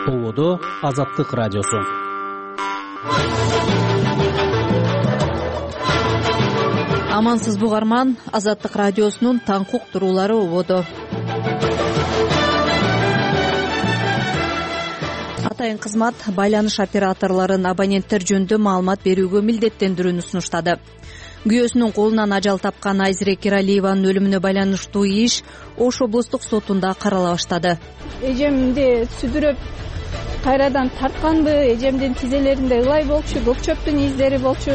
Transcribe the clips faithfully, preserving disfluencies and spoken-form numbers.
Болодо Азаттык радиосу. Амансызбы угарман, Азаттык радиосунун таңкы уктуруулары ободо. Атайын кызмат байланыш операторлорун абоненттер жөнүндө маалымат берүүгө милдеттендирүүнү сунуштады. Күйөөсүнүн колунан ажал тапкан Айзирек Иралиеванын өлүмүнө байланыштуу иш Ош облустук сотунда карала баштады. Эжемди сүдүрөп кайрадан тартканбы, эжемдин тизелеринде ылай болчу, көк чөптүн издери болчу.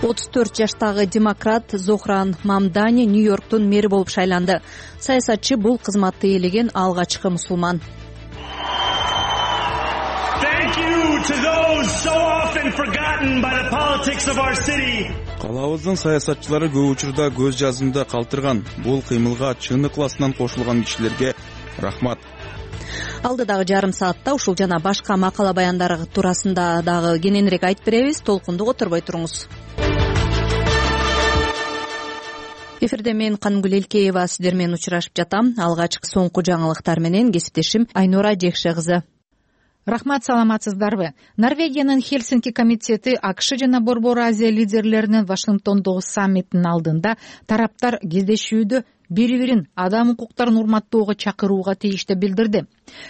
отуз төрт жаштагы демократ Зохран Мамдани Нью-Йорктун мэри болуп шайланды. Саясатчы бул кызматты ээлеген алгачкы мусулман. Калабыздын саясатчылары көп учурда көз жазымда калтырган. Бул кыймылга чын ыкласынан кошулган кишилерге рахмат. Алдыдагы жарым саатта ушул жана башка макала баяндары туурасында дагы кененирээк айтып беребиз. Толкунду которбой туруңуз. Эфирде мен Канымгүл Элкеева сиздер менен учурашып жатам. Алгачкы соңку жаңылыктар менен кесиптешим Айнура Жекше кызы. Рахмат, саламатсыздарбы? Норвегиянын Хельсинки комитети АКШ жана Борбор Азия лидерлеринин Вашингтондогу саммитинин алдында тараптар кездешүүдө бири-бирин адам укуктарын урматтоого чакырууга тийиштүү билдирди.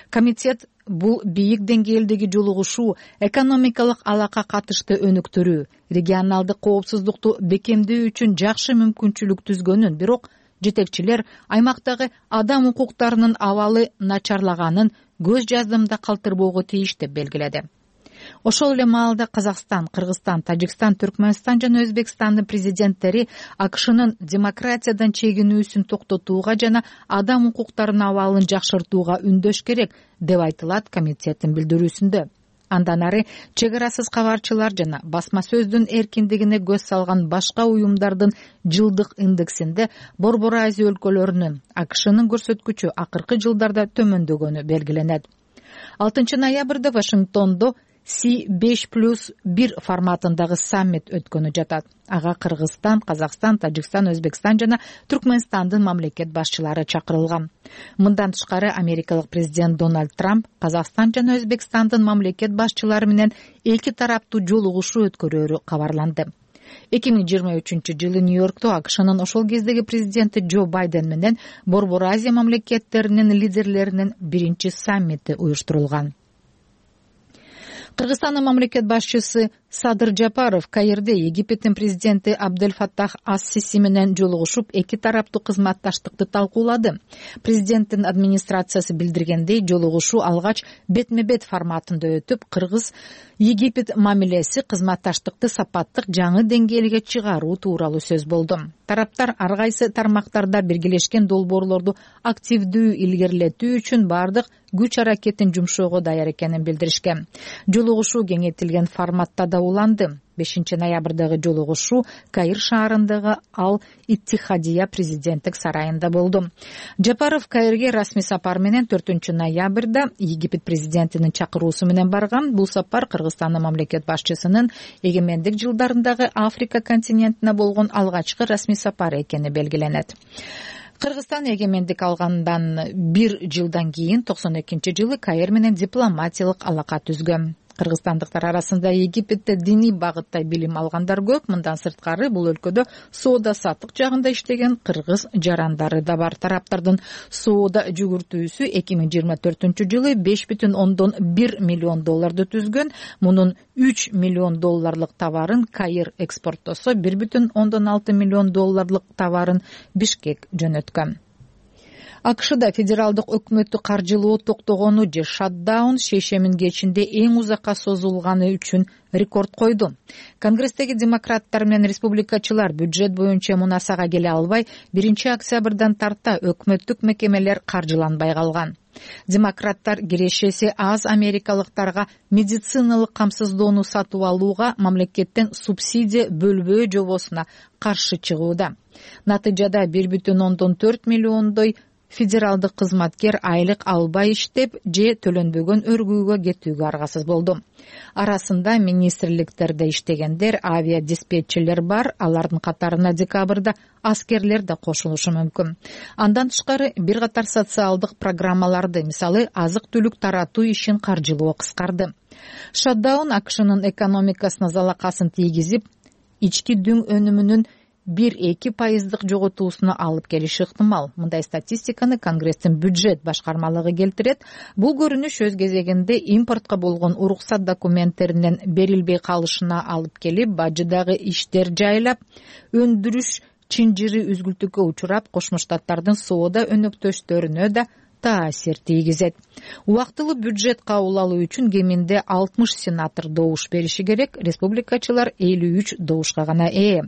Комитет бул бийик деңгээлдеги жолугушуу, экономикалык алака катышты өнүктүрүү, регионалдык коопсуздукту бекемдөө үчүн жакшы мүмкүнчүлүк түзгөнүн, бирок жетекчилер аймактагы адам укуктарынын абалы начарлаганын көз жаздымда калтырбоого тийиш деп белгиледи. Ошол эле маалда Казакстан, Кыргызстан, Тажикстан, Түркмөнстан жана Өзбекстандын президенттери АКШнын демократиядан чегинүүсүн токтотууга жана адам укуктарынын абалын жакшыртууга үндөш керек деп айтылат комитеттин билдирүүсүндө. Андан ары чек арасыз кабарчылар жана басма сөздүн эркиндигине көз салган башка уюмдардын жылдык индексинде Борбор Азия өлкөлөрүнүн АКШнын көрсөткүчү акыркы жылдарда төмөндөгөнү белгиленет. алтынчы ноябрда Вашингтондо Си беш плюс бир форматындагы саммит өткөнү жатат. Ага Кыргызстан, Казакстан, Тажикстан, Өзбекстан жана Түркмөнстандын мамлекет башчылары чакырылган. Мындан тышкары америкалык президент Дональд Трамп Казакстан жана Өзбекстандын мамлекет башчылары менен эки тараптуу жолугушуу өткөрөөрү кабарланды. эки миң жыйырма үчүнчү жылы Нью-Йоркто АКШнын ошол кездеги президенти Джо Байден менен Борбор Азия мамлекеттеринин лидерлеринин биринчи саммити уюштурулган. Кыргызстандын мамлекет башчысы Садыр Жапаров Каирде Египеттин президенти Абдель Фаттах ас-Сиси менен жолугушуп, эки тараптуу кызматташтыкты талкуулады. Президенттин администрациясы билдиргендей, жолугушуу алгач бетме-бет форматында өтүп, Кыргыз-Египет мамилеси кызматташтыкты сапаттык жаңы деңгээлге чыгаруу тууралуу сөз болду. Тараптар ар кайсы тармактарда биргелешкен долбоорлорду активдүү илгерилетүү үчүн бардык күч аракетин жумшоого даяр экенин билдиришкен. Жолугушуу кеңейтилген форматта да уланды. бешинчи ноябрдагы жолугушуу Каир шаарындагы Ал Иттихадия президенттик сарайында болду. Жапаров Каирге расмий сапар менен төртүнчү ноябрда Египет президентинин чакыруусу менен барган. Бул сапар Кыргызстандын мамлекет башчысынын эгемендик жылдарындагы Африка континентине болгон алгачкы расмий сапары экени белгиленет. Кыргызстан эгемендик алгандан бир жылдан кийин токсон экинчи жылы Каир менен дипломатиялык алака түзгөн. Кыргызстандыктар арасында Египетте диний багытта билим алгандар көп. Мындан сырткары бул өлкөдө соода саттык жагында иштеген кыргыз жарандары да бар. Тараптардын соода жүгүртүүсү эки миң жыйырма төртүнчү жылы беш бүтүн ондон бир миллион долларды түзгөн. Мунун үч миллион долларлык товарын Каир экспорттосо, бир бүтүн ондон алты миллион долларлык товарын Бишкек жөнөткөн. АКШда федералдык өкмөттү каржылоо токтогону же шатдаун шешемин кечинде эң узакка созулганы үчүн рекорд койду. Конгресстеги демократтар менен республикачылар бюджет боюнча мунасага келе албай, биринчи октябрдан тарта өкмөттүк мекемелер каржыланбай калган. Демократтар кирешеси аз америкалыктарга медициналык камсыздоону сатып алууга мамлекеттен субсидия бөлбөө жобосуна каршы чыгууда. Натыйжада бир бүтүн ондон төрт миллиондой федералдык кызматкер айлык албай иштеп же төлөнбөгөн өргүүгө кетүүгө аргасыз болду. Арасында министрликтерде иштегендер, авиадиспетчерлер бар, алардын катарына декабрда аскерлер да кошулушу мүмкүн. Андан тышкары бир катар социалдык программаларды, мисалы азык-түлүк таратуу ишин каржылоо кыскарды. Шатдаун АКШнын экономикасына залакасын тийгизип, ички дүң өнүмүнүн бир-эки пайыздык жоготуусуна алып келиши ыктымал. Мындай статистиканы Конгресстин бюджет башкармалыгы келтирет. Бул көрүнүш өз кезегинде импортко болгон уруксат документтеринин берилбей калышына алып келип, бажыдагы иштер жайлап, өндүрүш чынжыры үзгүлтүккө учурап, Кошмо Штаттардын соода өнөктөштөрүнө да таасир тийгизет. Убактылуу бюджет кабыл алуу үчүн кеминде алтымыш сенатор добуш бериши керек, республикачылар элүү үч добушка гана ээ.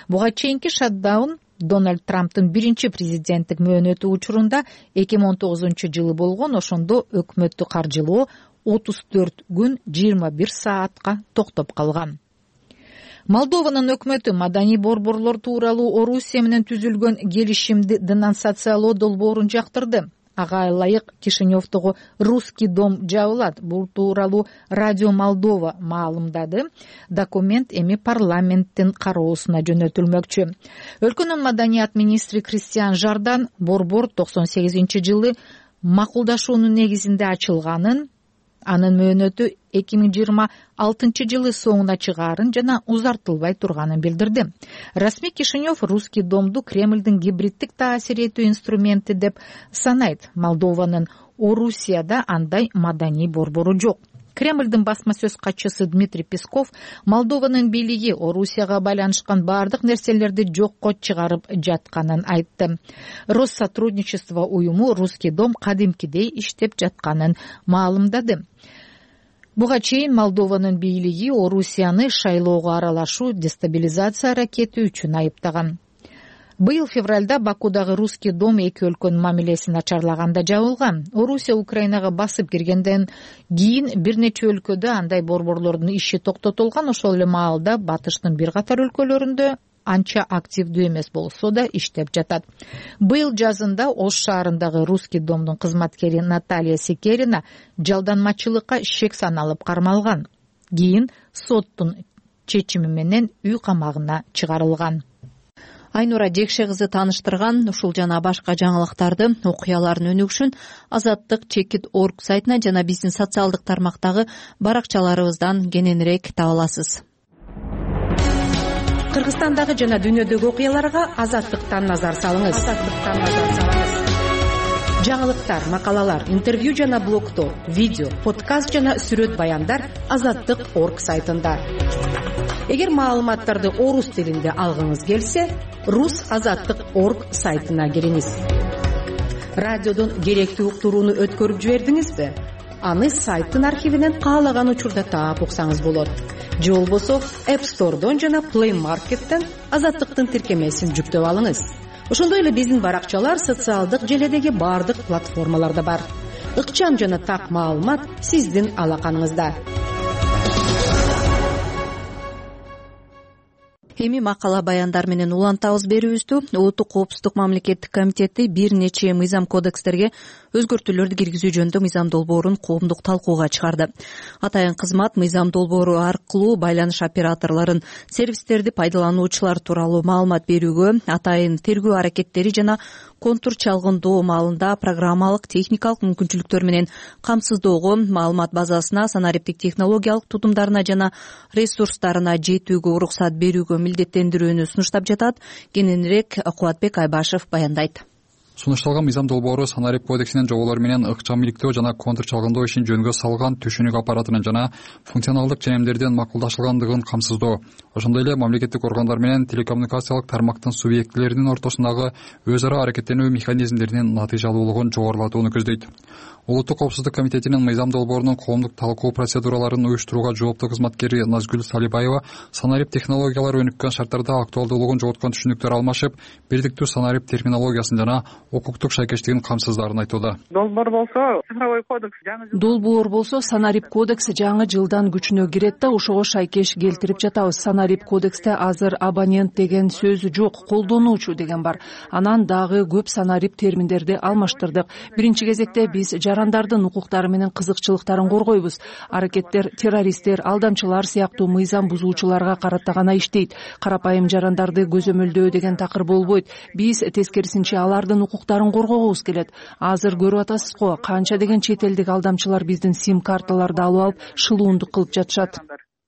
Буга чейинки шатдаун Дональд Трамптын биринчи президенттик мөөнөтү учурунда эки миң он тогузунчу жылы болгон, ошондо өкмөттү каржылоо отуз төрт күн жыйырма бир саатка токтоп калган. Молдованын өкмөтү маданий борборлор тууралуу Орусия менен түзүлгөн келишимди денонсациялоо долбоорун жактырды. Ага ылайык Кишиневдогу Русский дом жабылат. Бул тууралуу Радио Молдова маалымдады. Документ эми парламенттин кароосуна жөнөтүлмөкчү. Өлкөнүн маданият министри Кристиан Жардан борбор токсон сегизинчи жылы макулдашуунун негизинде ачылганын, анын мөөнөтү эки миң жыйырма алтынчы жылы соңуна чыгаарын жана узартылбай турганын билдирди. Расмий Кишинев Русский домду Кремлдин гибриддик таасир этүү инструменти деп санайт. Молдованын Орусияда андай маданий борбору жок. Кремлдин басма сөз катчысы Дмитрий Песков Молдованын бийлиги Орусияга байланышкан бардык нерселерди жокко чыгарып жатканын айтты. Россотрудничество уюму Русский дом кадимкидей иштеп жатканын маалымдады. Буга чейин Молдованын бийлиги Орусияны шайлоого аралашуу, дестабилизация аракети үчүн айыптаган. Быйыл февралда Бакудагы Русский дом эки өлкөнүн мамилесин начарлаганда жабылган. Орусия Украинага басып киргенден кийин бир нече өлкөдө андай борборлордун иши токтотулган. Ошол эле маалда батыштын бир катар өлкөлөрүндө анча активдүү эмес болсо да иштеп жатат. Быйыл жазында Ош шаарындагы Русский домдун кызматкери Наталья Секерина жалданмачылыкка шек саналып кармалган. Кийин соттун чечими менен үй камагына чыгарылган. Айнура Жекше кызы тааныштырган ушул жана башка жаңылыктарды, окуялардын өнүгүшүн азаттык чекит точка орг сайтына жана биздин социалдык тармактагы баракчаларыбыздан кененирээк таба аласыз. Кыргызстандагы жана дүйнөдөгү окуяларга Азаттыктан назар салыңыз. Азаттыктан назар салыңыз. Жаңылыктар, макалалар, интервью жана блогтор, видео, подкаст жана сүрөт баяндар азаттык точка орг сайтында. Эгер маалыматтарды орус тилинде алгыңыз келсе, рус азаттык точка орг сайтына кириңиз. Радиодон керектүү уктурууну өткөрүп жибердиңизби? Аны сайттын архивинен каалаган учурда таап уксаңыз болот. Же болбосо App Store'дон жана Play Market'тен азаттыктын тиркемесин жүктөп алыңыз. Ошондой эле биздин баракчалар социалдык желедеги бардык платформаларда бар. Ыкчам жана так маалымат сиздин алаканыңызда. Эми макала баяндар менен улантабыз берүүбүздү. Улуттук коопсуздук мамлекеттик комитети бир нече мыйзам кодекстерге өзгөртүүлөрдү киргизүү жөнүндө мыйзам долбоорун коомдук талкууга чыгарды. Атайын кызмат мыйзам долбоору аркылуу байланыш операторлорун, сервистерди пайдалануучулар тууралуу маалымат берүүгө, атайын тергөө аракеттери жана контур чалгындоо маалында программалык, техникалык мүмкүнчүлүктөр менен камсыздоого, маалымат базасына, санариптик технологиялык тутумдарына жана ресурстарына жетүүгө уруксат берүүгө милдеттендирүүнү сунуштап жатат. Кененирээк Кубатбек Айбашев баяндайт. Сунушталган мыйзам долбоору санарип кодексинин жоболору менен ыкчам иликтөө жана контур чалгындоо ишин жөнгө салган түшүнүк аппаратынын жана функционалдык ченемдердин макулдашылгандыгын камсыздоо, ошондой эле мамлекеттик органдар менен телекоммуникациялык тармактын субъектилеринин ортосундагы өз ара аракеттенүү механизмдеринин натыйжалуулугун жогорулатууну көздөйт. Улуттук коопсуздук комитетинин мыйзам долбоорунун коомдук талкуу процедураларын уюштурууга жооптуу кызматкери Назгүл Салибаева санарип технологиялары өнүккөн шарттарда актуалдуулугун жоготкон түшүнүктөр алмашып, бирдиктүү санарип терминологиясын жана укуктук шайкештигин камсыздарын айтууда. Долбоор болсо цифровой кодекс жаңы жыл долбоор болсо санарип кодекси жаңы жылдан күчүнө кирет да ошого шайкеш келтирип жатабыз. Санарип кодексте азыр абонент деген сөз жок, колдонуучу деген бар. Анан дагы көп санарип терминдерди алмаштырдык. Биринчи кезекте биз жарандардын укуктары менен кызыкчылыктарын коргойбуз. Аракеттер террористтер, алдамчылар сыяктуу мыйзам бузуучуларга карата гана иштейт. Карапайым жарандарды көзөмөлдөө деген такыр болбойт. Биз тескерисинче алардын укуктарын коргогубуз келет. Азыр көрүп атасыз го, канча деген чет элдик алдамчылар биздин сим карталарды алып алып шылуундук кылып жатышат.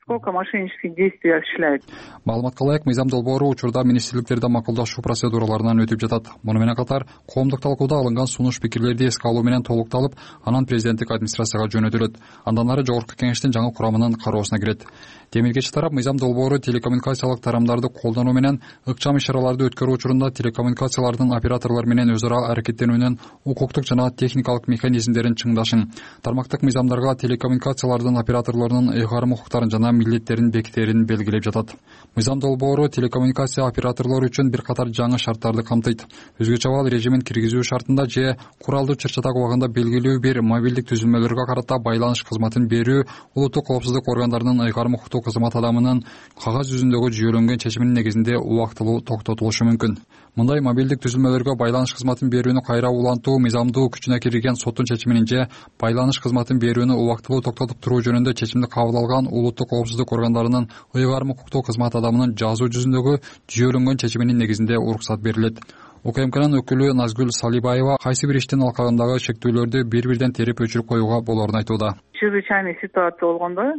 Сколько мошеннических действий осуществляет. Маалыматка ылайык, мыйзам долбоору учурда министрликтерде макулдашуу процедураларынан өтүп жатат. Муну менен катар коомдук талкууда алынган сунуш пикирлерди эске алуу менен толукталып, анан президенттик администрацияга жөнөтүлөт. Андан ары жогорку кеңештин жаңы курамынын кароосуна кирет. Демилгечи тарап мыйзам долбоору телекоммуникациялык тарамдарды колдонуу менен ыкчам иш-чараларды өткөрүү учурунда телекоммуникациялардын операторлор менен өз ара аракеттенүүнүн укуктук жана техникалык механизмдерин чыңдашын, тармактык мыйзамдарга телекоммуникациялардын операторлорунун ыйгарым укуктарын жана милдеттерин бекитерин белгилеп жатат. Мыйзам долбоору телекоммуникация операторлору үчүн бир катар жаңы шарттарды камтыйт. Өзгөчө абал режимин киргизүү шартында же куралдуу чыр-чатак убагында белгилүү бир мобилдик түзүлмөлөргө карата байланыш кызматын берүү улуттук коопсуздук органдарынын ыйгарым укуктуу кызмат адамынын кагаз жүзүндөгү жүйөлөнгөн чечиминин негизинде убактылуу токтотулушу мүмкүн. Мындай мобилдик түзүлмөлөргө байланыш кызматын берүүнү кайра улантуу мыйзамдуу күчүнө кирген соттун чечиминин же байланыш кызматын берүүнү убактылуу токтотуп туруу жөнүндө чечимди кабыл алган улуттук коопсуздук органдарынын ыйгарым укуктуу кызмат адамынын жазуу жүзүндөгү жүйөлөнгөн чечиминин негизинде уруксат берилет. УКМКнын өкүлү Назгүл Салибаева кайсы бир иштин алкагындагы чектөөлөрдү бири-бирден терип өчүрүп коюуга болоорун айтууда. Чрезвычайный ситуация болгондо,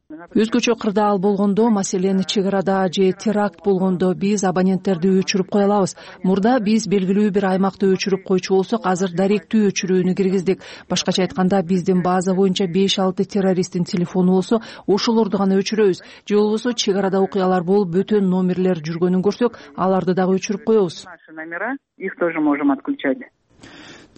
өзгөчө кырдаал болгондо, маселен чек арада же теракт болгондо биз абоненттерди өчүрүп кое алабыз. Мурда биз белгилүү бир аймакты өчүрүп койчу болсок, азыр даректүү өчүрүүнү киргиздик. Башкача айтканда, биздин база боюнча беш алты террористтин телефону болсо, ошолорду гана өчүрөбүз. Же болбосо чек арада окуялар болуп бөтөн номерлер жүргөнүн көрсөк, аларды дагы өчүрүп коебуз. Их тоже можем отключать.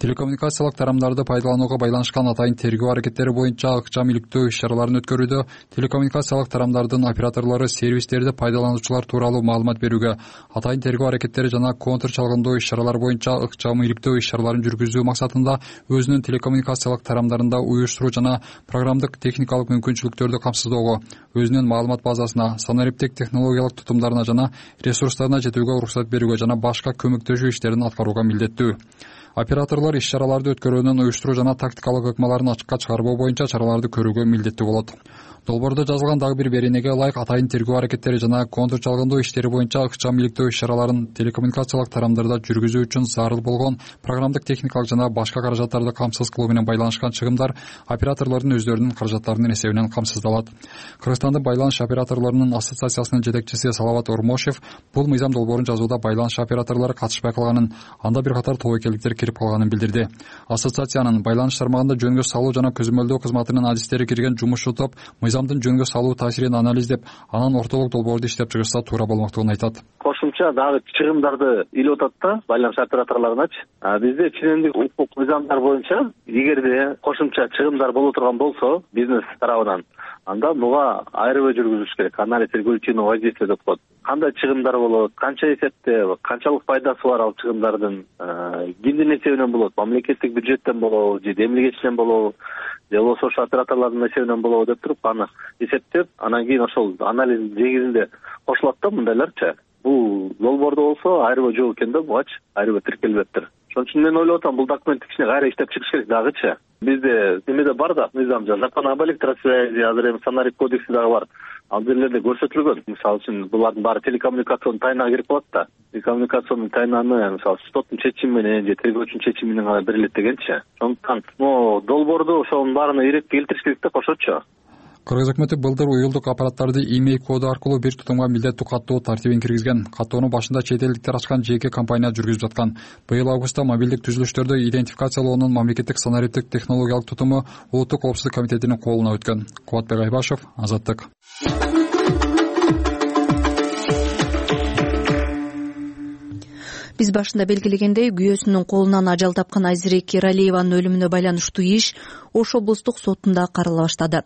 Телекоммуникациялык тарамдарды пайдаланууга байланышкан атайын тергөө аракеттери боюнча ыкчам иликтөө иш-чараларын өткөрүүдө телекоммуникациялык тарамдардын операторлору сервистерди пайдалануучулар тууралуу маалымат берүүгө, атайын тергөө аракеттери жана контур чалгындоо иш-чаралар боюнча ыкчам иликтөө иш-чараларын жүргүзүү максатында өзүнүн телекоммуникациялык тарамдарында уюштуруу жана программдык техникалык мүмкүнчүлүктөрдү камсыздоого, өзүнүн маалымат базасына, санариптик технологиялык тутумдарына жана ресурстарына жетүүгө уруксат берүүгө жана башка көмөктөшүү иштерин аткарууга милдеттүү. Операторлор иш-чараларды өткөрүүнүн уюштуруу жана тактикалык ыкмаларын ачыкка чыгарбоо боюнча чараларды көрүүгө милдеттүү болот. Долбоордо жазылган дагы бир беренеге ылайык, атайын тергөө аракеттери жана контур чалгындоо иштери боюнча ыкчам иликтөө иш-чараларын телекоммуникациялык тарамдарда жүргүзүү үчүн зарыл болгон программдык техникалык жана башка каражаттарды камсыз кылуу менен байланышкан чыгымдар операторлордун өздөрүнүн каражаттарынын эсебинен камсыздалат. Кыргызстандын байланыш операторлорунун ассоциациясынын жетекчиси Салават Ормошев бул мыйзам долбоорун жазууда байланыш операторлору катышпай калганын, анда бир катар тобокелдиктер кирип калганын билдирди. Ассоциациянын байланыш тармагында жөнгө салуу жана көзөмөлдөө кызматынын адистери кирген жумушчу топ мыйзамдын жөнгө салуу таасирин анализдеп, анан ортолук долбоорду иштеп чыгышса туура болмоктугун айтат. Кошумча дагы чыгымдарды илип атат да байланыш операторлоруначы. Бизде ченемдик укук мыйзамдар боюнча эгерде кошумча чыгымдар боло турган болсо бизнес тарабынан, анда буга айрыбай жүргүзүш керек. Анализ регулятивного воздействия деп коет. Кандай чыгымдар болот, канча эсепте, канчалык пайдасы бар ал чыгымдардын, кимдин эсебинен болот, мамлекеттик бюджеттен болобу же демилгечинен болобу, же болбосо ошо операторлордун эсебинен болобу деп туруп аны эсептеп, анан кийин ошол анализ негизинде кошулат да мындайларчы. Бул долбоордо болсо айрыбай жок экен да, бугачы айрыбай тиркелбептир. Ошон үчүн мен ойлоп атам, бул документти кичине кайра иштеп чыгыш керек дагычы. Бизде немеде бар да мыйзам, закон об электросвязи, азыр эми санарип кодекси дагы бар. Ал жерлерде көрсөтүлгөн. Мисалы үчүн булардын баары телекоммуникацион тайнага кирип калат да. Телекоммуникацион тайнаны мисалы соттун чечими менен же тергөөчүнүн чечими менен гана берилет дегенчи. Ошондуктан могу долбоорду ошонун баарына ирет келтириш керек да кошочу. Кыргыз өкмөтү былтыр уюлдук аппараттарды имей коду аркылуу бир тутумга милдеттүү каттоо тартибин киргизген. Каттоону башында чет элдиктер ачкан жеке компания жүргүзүп жаткан. Быйыл августта мобилдик түзүлүштөрдү идентификациялоонун мамлекеттик санариптик технологиялык тутуму Улуттук коопсуздук комитетинин колуна өткөн. Кубатбек Айбашев, Азаттык. биз башында белгилегендей, күйөөсүнүн колунан ажал тапкан Айзирек Эралиеванын өлүмүнө байланыштуу иш Ош облустук сотунда карала баштады.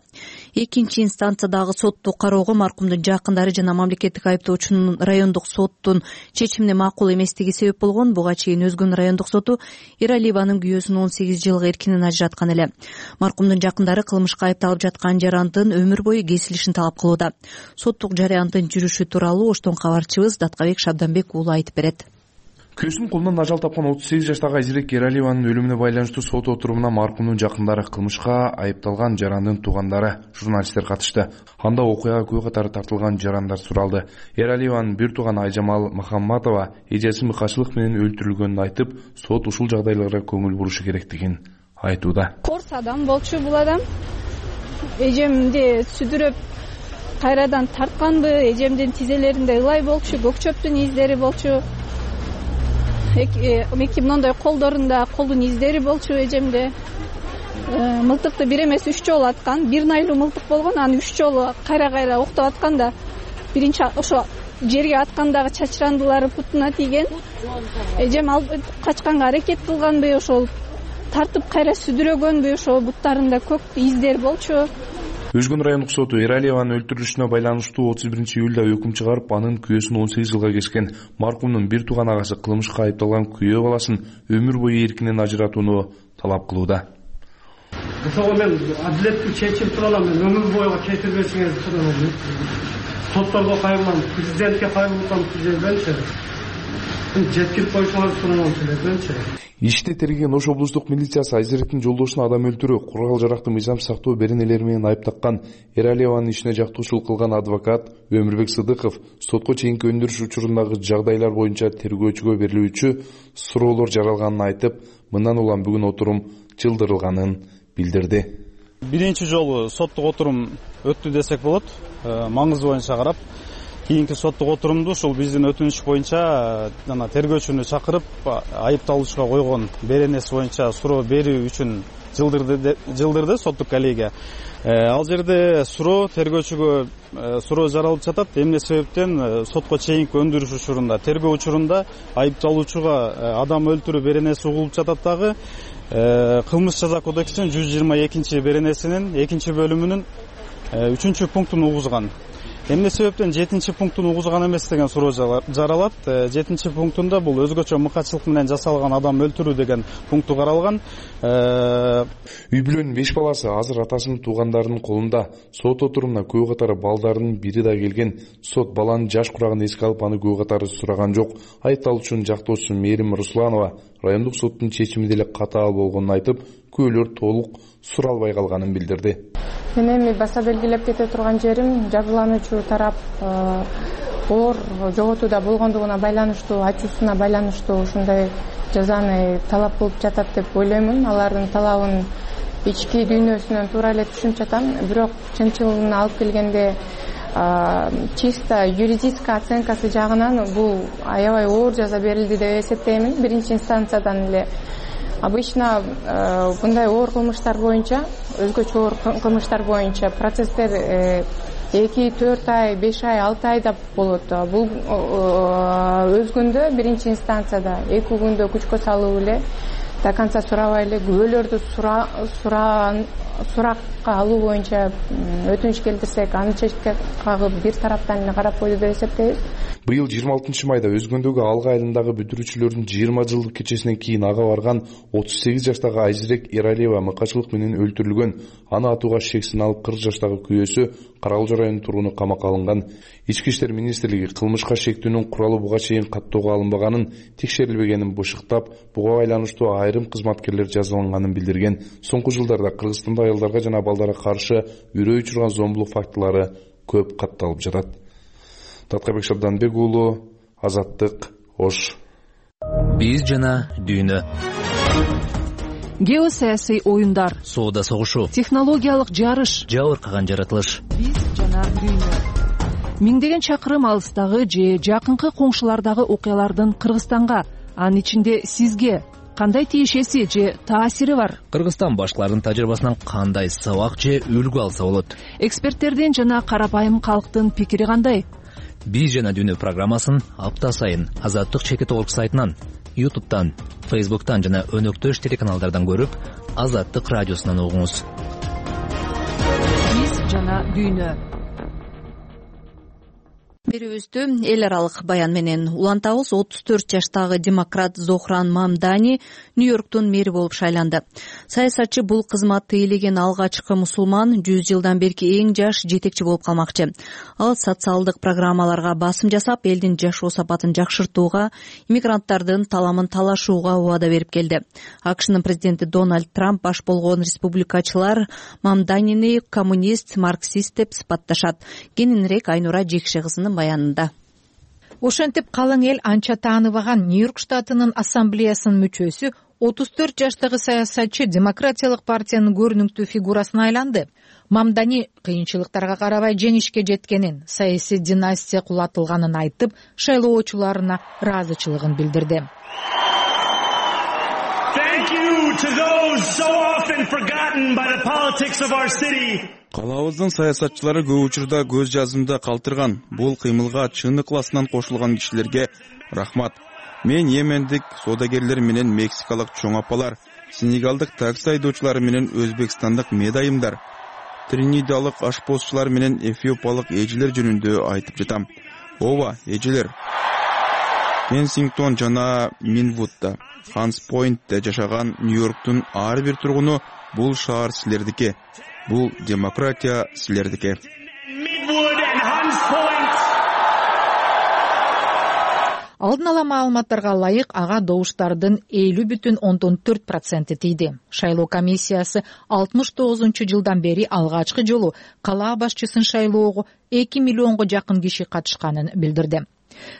Экинчи инстанциядагы сотту кароого маркумдун жакындары жана мамлекеттик айыптоочунун райондук соттун чечимине макул эместиги себеп болгон. Буга чейин Өзгөн райондук соту Эралиеванын күйөөсүн он сегиз жылга эркинен ажыраткан эле. Маркумдун жакындары кылмышка айыпталып жаткан жарандын өмүр бою кесилишин талап кылууда. Соттук жарыяндын жүрүшү тууралуу Оштон кабарчыбыз Даткабек Шабданбек уулу айтып берет. Күйөөсүнүн колунан ажал тапкан отуз сегиз жаштагы Айзирек Эралиеванын өлүмүнө байланыштуу сот отурумуна маркумдун жакындары, кылмышка айыпталган жарандын туугандары, журналисттер катышты. Анда окуяга күбө катары тартылган жарандар суралды. Эралиеванын бир тууганы Айжамал Махамматова эжеси мыкачылык менен өлтүрүлгөнүн айтып, сот ушул жагдайларга көңүл бурушу керектигин айтууда. Корс адам болчу бул адам. Эжемди сүдүрөп кайрадан тартканбы, эжемдин тизелеринде ылай болчу, көк чөптүн издери болчу. Эки мындай колдорунда колдун издери болчу эжемде. Мылтыкты бир эмес үч жолу аткан, бир найлуу мылтык болгон, аны үч жолу кайра-кайра октоп атканда, биринчи ошо жерге аткандагы чачырандылары бутуна тийген. Эжем качканга аракет кылганбы, ошол тартып кайра сүдүрөгөнбү, ошо буттарында көк издер болчу. Өзгөн райондук соту Эралиеванын өлтүрүлүшүнө байланыштуу отуз биринчи июлда өкүм чыгарып, анын күйөөсүн он сегиз жылга кескен. Маркумдун бир тууган агасы кылмышка айыпталган күйөө баласын өмүр бою эркинен ажыратууну талап кылууда. Ошого мен адилеттүү чечим тууралуу мен өмүр бою кетирбесиңерди сурайм. Сотторго кайрылам, президентке кайрылсам президентчи жеткирип коюшуңарды сурайм президентчи. Ишти тергеген Ош облустук милициясы Айзиректин жолдошуна адам өлтүрүү, курал жаракты мыйзам сактоо беренелери менен айып таккан Эралиеванын ишине жактоочулук кылган адвокат Өмүрбек Сыдыков сотко чейинки өндүрүш учурундагы жагдайлар боюнча тергөөчүгө берилүүчү суроолор жаралганын айтып, мындан улам бүгүн отурум жылдырылганын билдирди. Биринчи жолу соттук отурум өттү десек болот. Маңызы боюнча карап, кийинки соттук отурумду ушул биздин өтүнүч боюнча жана тергөөчүнү чакырып, айыпталуучуга койгон беренеси боюнча суроо берүү үчүн жылдырды жылдырды соттук коллегия. Ал жерде суроо тергөөчүгө суроо жаралып жатат. Эмне себептен сотко чейинки өндүрүш учурунда, тергөө учурунда айыпталуучуга адам өлтүрүү беренеси угулуп жатат дагы. Кылмыш жаза кодексинин жүз жыйырма экинчи беренесинин экинчи бөлүмүнүн үчүнчү пунктун угузган. Эмне себептен жетинчи пунктун угузган эмес деген суроо жаралат. жетинчи пунктунда бул өзгөчө мыкачылык менен жасалган адам өлтүрүү деген пункту каралган. Үй бүлөнүн беш баласы азыр атасынын туугандарынын колунда. Сот отурумуна күбө катары балдарынын бири да келген. Сот баланын жаш курагын эске алып, аны күбө катары сураган жок. Айыпталуучунун жактоочусу Мээрим Русланова райондук соттун чечими деле катаал болгонун айтып, күбөлөр толук суралбай калганын билдирди. Мен эми баса белгилеп кете турган жерим, жабырлануучу тарап оор жоготууда болгондугуна байланыштуу, ачуусуна байланыштуу ушундай жазаны талап кылып жатат деп ойлоймун. Алардын талабын ички дүйнөсүнөн туура эле түшүнүп жатам. Бирок чынчылыгына алып келгенде чисто юридическая оценкасы жагынан бул аябай оор жаза берилди деп эсептеймин. Биринчи инстанциядан эле обычно мындай оор кылмыштар боюнча, өзгөчө оор кылмыштар боюнча процесстер эки, төрт ай, беш ай, алты айда болот. Бул өзгөндө биринчи инстанцияда эки күндө күчкө салуу эле, до конца сурабай эле күбөлөрдү суракка алуу боюнча өтүнүч келтирсек, аны чечке кагып бир тараптан эле карап койду деп эсептейбиз. Быйыл жыйырма алтынчы майда Өзгөндөгү Алга айылындагы бүтүрүүчүлөрдүн жыйырма жылдык кечесинен кийин ага барган отуз сегиз жаштагы Айзирек Эралиева мыкачылык менен өлтүрүлгөн. Аны атууга шексин алып кырк жаштагы күйөөсү Каралжы районунун тургуну камакка алынган. Ички иштер министрлиги кылмышка шектүүнүн куралы буга чейин каттоого алынбаганын, текшерилбегенин бышыктап, буга байланыштуу айрым кызматкерлер жазаланганын билдирген. Соңку жылдарда Кыргызстанда аялдарга жана балдарга каршы үрөй учурган зомбулук фактылары көп катталып жатат. Даткабек Шабданбек уулу, Азаттык, Ош. Биз жана дүйнө. Геосаясий оюндар, соода согушу, технологиялык жарыш, жабыркаган жаратылыш. Биз жана дүйнө. Миңдеген чакырым алыстагы же жакынкы коңшулардагы окуялардын Кыргызстанга, анын ичинде сизге кандай тиешеси же таасири бар? Кыргызстан башкалардын тажрыйбасынан кандай сабак же үлгү алса болот? Эксперттердин жана карапайым калктын пикири кандай? Биз жана дүйнө программасын апта сайын Азаттык чекит орг сайтынан, ютубтан, фейсбуктан жана өнөктөш телеканалдардан көрүп, Азаттык радиосунан угуңуз. Биз жана дүйнө. Берүүбүздү эл аралык баян менен улантабыз. отуз төрт жаштагы демократ Зохран Мамдани Нью-Йорктун мэри болуп шайланды. Саясатчы бул кызматты ээлеген алгачкы мусулман жүз жылдан берки эң жаш жетекчи болуп калмакчы. Ал социалдык программаларга басым жасап, элдин жашоо сапатын жакшыртууга, иммигранттардын таламын талашууга убада берип келди. АКШнын президенти Дональд Трамп баш болгон республикачылар Мамданини коммунист, марксист деп сыпатташат. Кененирээк Айнура Жекше кызынын баянында. Ошентип калың эл анча тааныбаган Нью-Йорк штатынын ассамблеясынын мүчөсү отуз төрт жаштагы саясатчы демократиялык партиянын көрүнүктүү фигурасына айланды. Мамдани кыйынчылыктарга карабай жеңишке жеткенин, саясий династия кулатылганын айтып, шайлоочуларына ыраазычылыгын билдирди. Калаабыздын саясатчылары көп учурда көз жазымда калтырган, бул кыймылга чын ыкласынан кошулган кишилерге рахмат. Мен йемендик соодагерлер менен мексикалык чоң апалар, сенегалдык такси айдоочулары менен өзбекстандык медайымдар, тринидалык ашпозчулар менен эфиопиялык эжелер жөнүндө айтып жатам. Ооба, эжелер. Кенсингтон жана Минвудда, Ханс-Пойнтте жашаган Нью-Йорктун ар бир тургуну бул шаар силердики, бул демократия силердики. Алдын ала маалыматтарга ылайык, ага добуштардын элүү бүтүн ондон төрт проценти тийди. Шайлоо комиссиясы алтымыш тогузунчу жылдан бери алгачкы жолу калаа башчысын шайлоого эки миллионго жакын киши катышканын билдирди.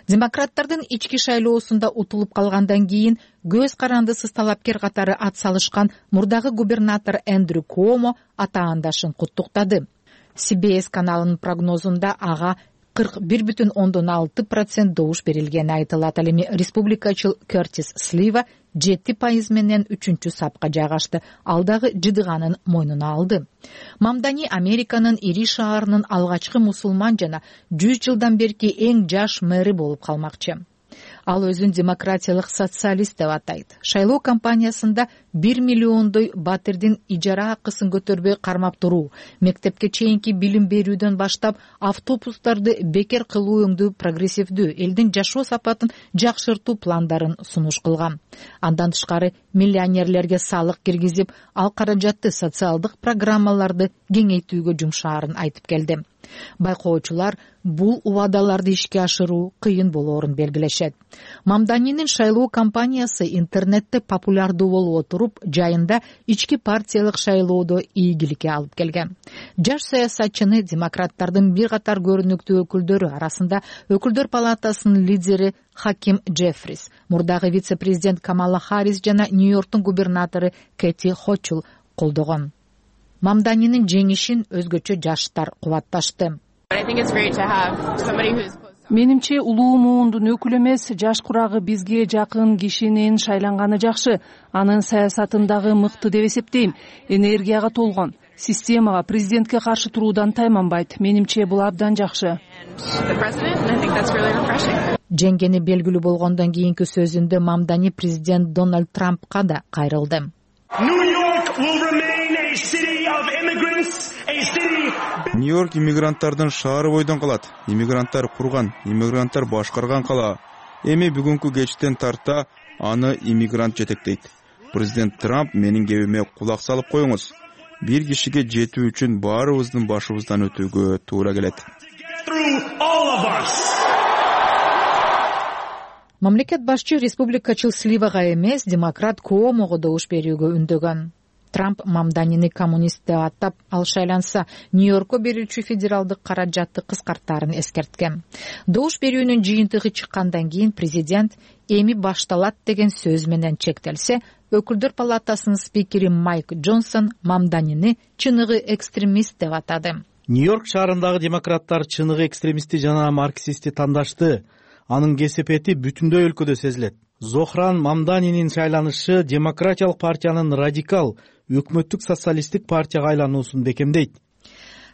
Демократтардын ички шайлоосунда утулуп калгандан кийин көз карандысыз талапкер катары ат салышкан мурдагы губернатор Эндрю Куомо атаандашын куттуктады. Си Би Эс каналынын прогнозунда ага кырк бир бүтүн ондон алты процент добуш берилгени айтылат. Ал эми республикачыл Кертис Слива жети пайыз менен үчүнчү сапка жайгашты. Ал дагы жыдыганын мойнуна алды. Мамдани Американын ири шаарынын алгачкы мусулман жана жүз жылдан берки эң жаш мэри болуп калмакчы. Ал өзүн демократиялык социалист деп атайт. Шайлоо кампаниясында бир миллиондой батирдин ижара акысын көтөрбөй кармап туруу, мектепке чейинки билим берүүдөн баштап автобустарды бекер кылуу өңдүү прогрессивдүү, элдин жашоо сапатын жакшыртуу пландарын сунуш кылган. Андан тышкары миллионерлерге салык киргизип, ал каражатты социалдык программаларды кеңейтүүгө жумшаарын айтып келди. Байкоочулар бул убадаларды ишке ашыруу кыйын болоорун белгилешет. Мамданинин шайлоо кампаниясы интернетте популярдуу болуп отуруп, жайында ички партиялык шайлоодо ийгиликке алып келген. Жаш саясатчыны демократтардын бир катар көрүнүктүү өкүлдөрү арасында Өкүлдөр палатасынын лидери Хаким Джеффрис, мурдагы вице-президент Камала Харрис жана Нью-Йорктун губернатору Кэти Хочул колдогон. Мамданинин жеңишин өзгөчө жаштар кубатташты. Менимче улуу муундун өкүлү эмес, жаш курагы бизге жакын кишинин шайланганы жакшы. Анын саясатын дагы мыкты деп эсептейм. Энергияга толгон. Системага, президентке каршы туруудан тайманбайт. Менимче бул абдан жакшы. Жеңгени белгилүү болгондон кийинки сөзүндө Мамдани президент Дональд Трампка да кайрылды. Нью-Йорк иммигранттардын шаары бойдон калат. Иммигранттар курган, иммигранттар башкарган кала. Эми бүгүнкү кечтен тарта аны иммигрант жетектейт. Президент Трамп менин кебиме кулак салып коюңуз. Бир кишиге жетүү үчүн баарыбыздын башыбыздан өтүүгө туура келет. Мамлекет башчы республикачыл Сливага эмес, демократ Куомого добуш берүүгө үндөгөн. Трамп Мамданини коммунист деп атап, ал шайланса Нью-Йоркко берүүчү федералдык каражатты кыскартаарын эскерткен. Добуш берүүнүн жыйынтыгы чыккандан кийин президент эми башталат деген сөз менен чектелсе, Өкүлдөр палатасынын спикери Майк Джонсон Мамданини чыныгы экстремист деп атады. Нью-Йорк шаарындагы демократтар чыныгы экстремисти жана марксистти тандашты. Анын кесепети бүтүндөй өлкөдө сезилет. Зохран Мамданинин шайланышы демократиялык партиянын радикал өкмөттүк социалисттик партияга айлануусун бекемдейт.